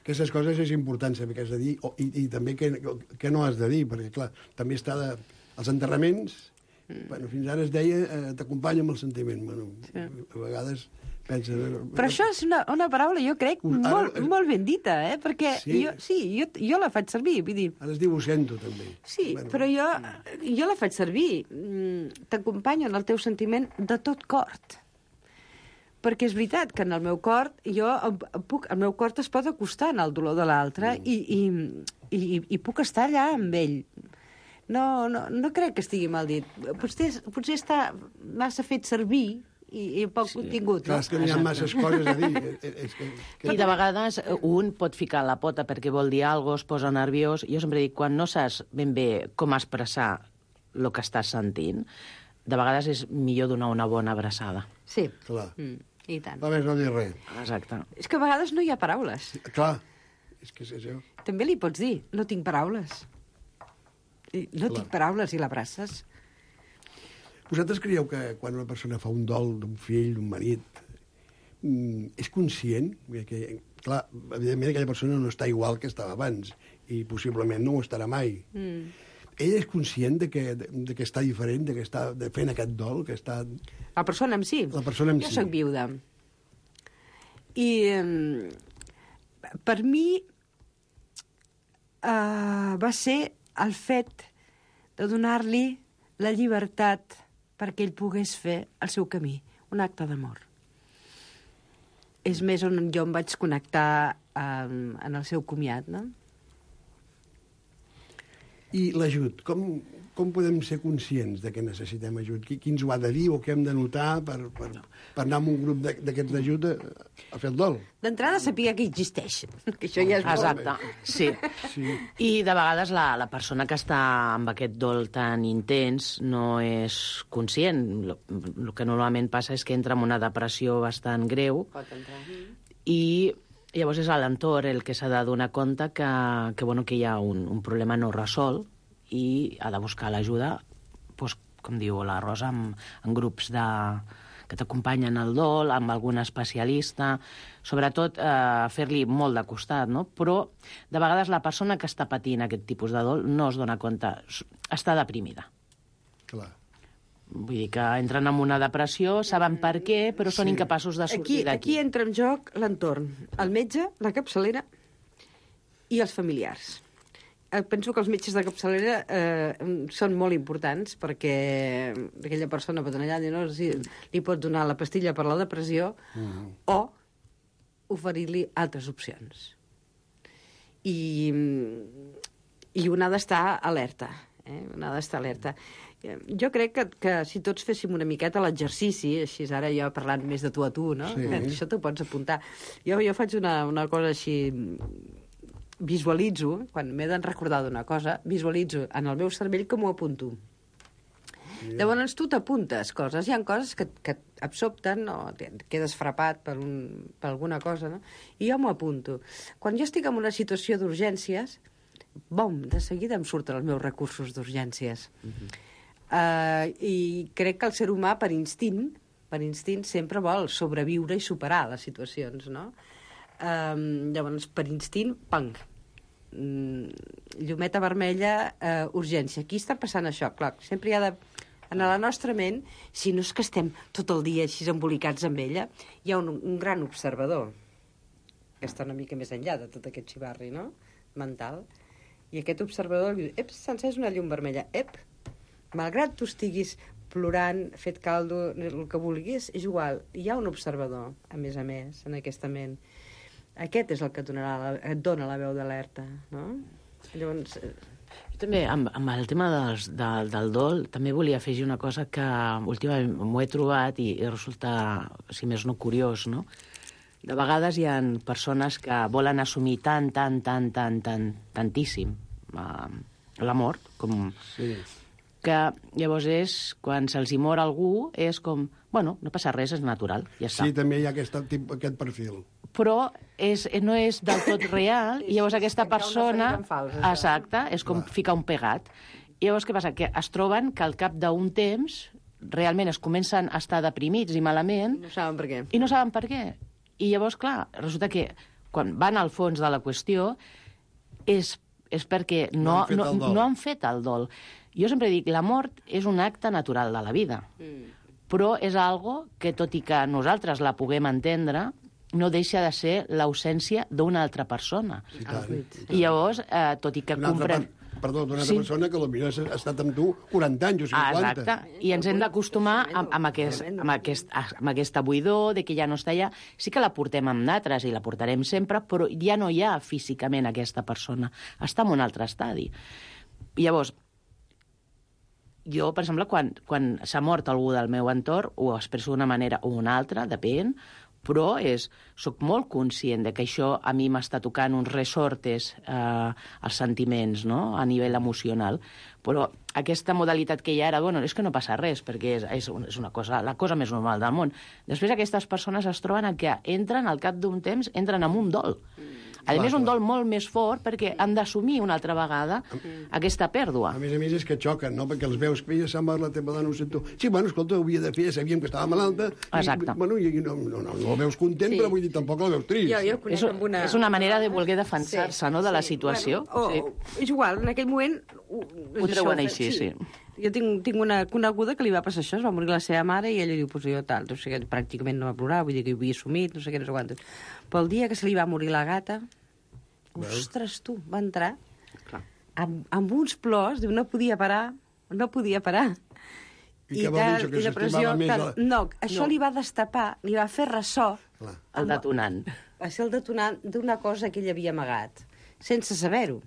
Aquestes coses és important saber què has de dir i també què no has de dir, perquè, clar, també està els enterraments. Bueno, fins ara es deia t'acompanya amb el sentiment. Bueno, sí. A vegades pensa... Però això és una paraula, jo crec, molt ben dita, perquè jo la faig servir. Vull dir... Ara es diu ho sento, també. Sí, bueno. Però jo la faig servir. T'acompanyo en el teu sentiment de tot cor. Perquè és veritat que en el meu cor, el meu cor es pot acostar en el dolor de l'altre i puc estar allà amb ell. No crec que estigui mal dit. Potser està massa fet servir i poc contingut. Clar, és que n'hi ha masses coses a dir. I de vegades un pot ficar la pota perquè vol dir alguna cosa, es posa nerviós. Jo sempre dic, quan no saps ben bé com expressar el que estàs sentint, de vegades és millor donar una bona abraçada. Sí. Clar. I tant. Va més no dir res. Exacte. És que a vegades no hi ha paraules. Clar. És que és això. També li pots dir, no tinc paraules. Tinc paraules i l'abraces. Vosaltres creieu que quan una persona fa un dol d'un fill, d'un marit, és conscient? Que, clar, evidentment aquella persona no està igual que estava abans i possiblement no ho estarà mai. Ell és conscient de que està diferent, de que està fent aquest dol, que està... La persona en si? La persona en si. Jo soc viuda. I per mi va ser el fet de donar-li la llibertat perquè ell pogués fer el seu camí, un acte d'amor. És més on jo em vaig connectar en el seu comiat, no? I l'ajut, com podem ser conscients de que necessitem ajut? Qui ens ho ha de dir o què hem de notar per anar amb un grup d'aquests d'ajut a fer el dol? D'entrada saber que existeix, que això ja és Exacte, sí. I de vegades la persona que està amb aquest dol tan intens no és conscient. El que normalment passa és que entra en una depressió bastant greu i llavors és l'entorn el que s'ha de donar compte que hi ha un problema no resolt i ha de buscar l'ajuda, doncs, com diu la Rosa, en grups que t'acompanyen al dol, amb algun especialista, sobretot fer-li molt de costat, no? Però de vegades la persona que està patint aquest tipus de dol no es dona compte, està deprimida. Clar. Vull dir que entren en una depressió, saben per què, però són incapaços de sortir d'aquí. Aquí entra en joc l'entorn, el metge, la capçalera i els familiars. Penso que els metges de capçalera són molt importants perquè aquella persona pot anar allà i li pot donar la pastilla per la depressió o oferir-li altres opcions. I un ha d'estar alerta. Un ha d'estar alerta. Jo crec que si tots féssim una miqueta l'exercici, així ara jo parlant més de tu a tu, no? Sí. Això t'ho pots apuntar. Jo faig una cosa així, visualitzo, quan m'he de recordar d'una cosa, visualitzo en el meu cervell com ho apunto. Llavors tu t'apuntes coses. Hi ha coses que et sobten, no? Quedes frapat per alguna cosa, no? I jo m'ho apunto. Quan jo estic en una situació d'urgències, de seguida em surten els meus recursos d'urgències. I crec que el ser humà, per instint sempre vol sobreviure i superar les situacions, no? Llavors, per instint, pang, llumeta vermella, urgència. Aquí està passant això, clar, sempre hi ha de... En la nostra ment, si no és que estem tot el dia així embolicats amb ella, hi ha un gran observador, que està una mica més enllà de tot aquest xivarri, no?, mental, i aquest observador diu, s'ha encès una llum vermella, malgrat tu estiguis plorant, fet caldo, el que vulguis, és igual, hi ha un observador, a més, en aquesta ment. Aquest és el que et dona la veu d'alerta, no? Llavors... Jo també, amb el tema del dol, també volia afegir una cosa que últimament m'ho he trobat i resulta, si més no, curiós, no? De vegades hi ha persones que volen assumir tantíssim la mort, com... Sí. Que llavors quan se'ls hi mor algú, és com, bueno, no passa res, és natural, ja està. Sí, també hi ha aquest perfil. Però no és del tot real, i llavors aquesta persona... Exacte, és com ficar un pegat. I llavors què passa? Que es troben que al cap d'un temps realment es comencen a estar deprimits i malament... No saben per què. I no saben per què. I llavors, clar, resulta que quan van al fons de la qüestió és perquè no han fet el dol. Jo sempre dic, la mort és un acte natural de la vida, però és algo que, tot i que nosaltres la puguem entendre, no deixa de ser l'ausència d'una altra persona. Sí, i llavors, tot i que comprem... D'una altra persona que potser ha estat amb tu 40 anys o 50. Exacte, i ens hem d'acostumar amb aquesta buidor de que ja no està allà. Sí que la portem amb natres i la portarem sempre, però ja no hi ha físicament aquesta persona. Està en un altre estadi. I llavors, jo, per exemple, quan s'ha mort algú del meu entorn, ho expresso d'una manera o una altra, depèn, però soc molt conscient de que això a mi m'està tocant uns resortes als sentiments, no?, a nivell emocional. Però aquesta modalitat que hi ha ara, bueno, és que no passa res, perquè és una cosa, la cosa més normal del món. Després aquestes persones es troben que entren, al cap d'un temps, entren en un dol. A més, un dol molt més fort perquè han d'assumir una altra vegada aquesta pèrdua. A més, és que xoquen, no?, perquè els veus que ja s'ha mort la teva dona, ho sento. Sí, bueno, escolta, ho havia de fer, sabíem que estava malalta. Exacte. I no la veus content, però vull dir, tampoc la veus trist. És una manera de voler defensar-se, no?, de la situació. És igual, en aquell moment... Ho treuen així, sí. Jo tinc una coneguda que li va passar això, es va morir la seva mare i ella diu, pues jo tal, o sigui, pràcticament no va plorar, vull dir que ho havia assumit, no sé què, no sé quantos. Però el dia que se li va morir la gata, ostres, tu, va entrar amb uns plors, diu, no podia parar. I què vol dir això, que s'estimava més? No, això li va destapar, li va fer ressò. El detonant. Va ser el detonant d'una cosa que ell havia amagat, sense saber-ho.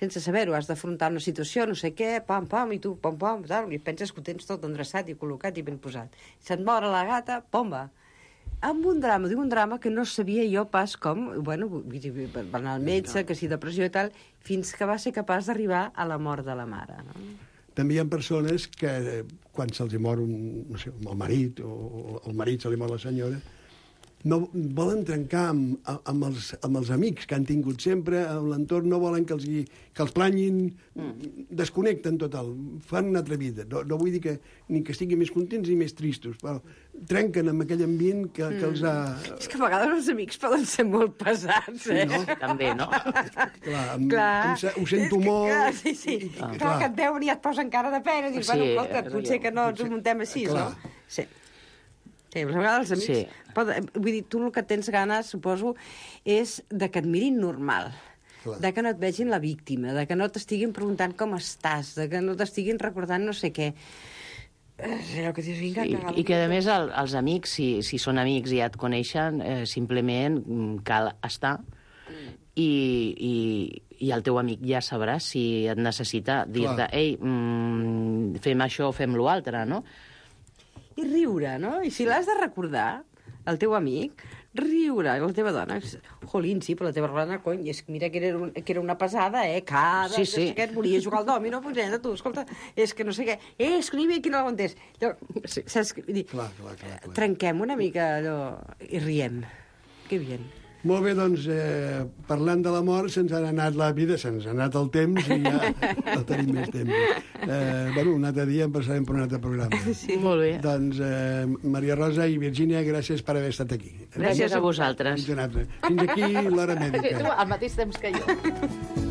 Sense saber-ho, has d'afrontar una situació, no sé què, pam, i tu, pam, tal, i penses que ho tens tot endreçat i col·locat i ben posat. Se't mor la gata, pomba. Amb un drama que no sabia jo pas com, bueno, va anar al metge, que si depressió i tal, fins que va ser capaç d'arribar a la mort de la mare, no? També hi ha persones que, quan se'ls mor el marit, o el marit se li mor la senyora, no volen trencar amb els amics que han tingut sempre, amb l'entorn, no volen que els planyin, desconnecten total, fan una altra vida. No vull dir que ni que estiguin més contents ni més tristos, però trenquen amb aquell ambient que els ha... És que a vegades els amics poden ser molt pesats, eh? No? També, no? Clar, ho sento molt... Sí. Clar, que et veuen i et posen cara de pena i dius, bueno, escolta, potser que no ens ho muntem així, no? Sí. Sí, a vegades els amics... Vull dir, tu el que tens ganes, suposo, és de que et mirin normal, de que no et vegin la víctima, de que no t'estiguin preguntant com estàs, de que no t'estiguin recordant no sé què. Allò que dius, vinga, I que, a més, els amics, si són amics i ja et coneixen, simplement cal estar i el teu amic ja sabrà si et necessita dir-te, ei, fem això o fem l'altre, no? I riure, no? I si l'has de recordar, el teu amic, riure. I la teva dona, jolín, sí, però la teva dona, cony, és que mira que era una pesada, cada... Sí, sí. Que et volia jugar al dòmino, pues tu, escolta, és que no sé què, és que no hi havia qui no l'aguantés. Sí. Saps? Vull dir, Clar. trenquem una mica allò i riem. Que bien. Molt bé, doncs, parlant de la mort, se'ns ha anat la vida, se'ns ha anat el temps i ja no tenim més temps. Un altre dia en passarem per un altre programa. Sí. Molt bé. Doncs, Maria Rosa i Virgínia, gràcies per haver estat aquí. Gràcies a vosaltres. Fins aquí l'hora mèdica. Al mateix temps que jo.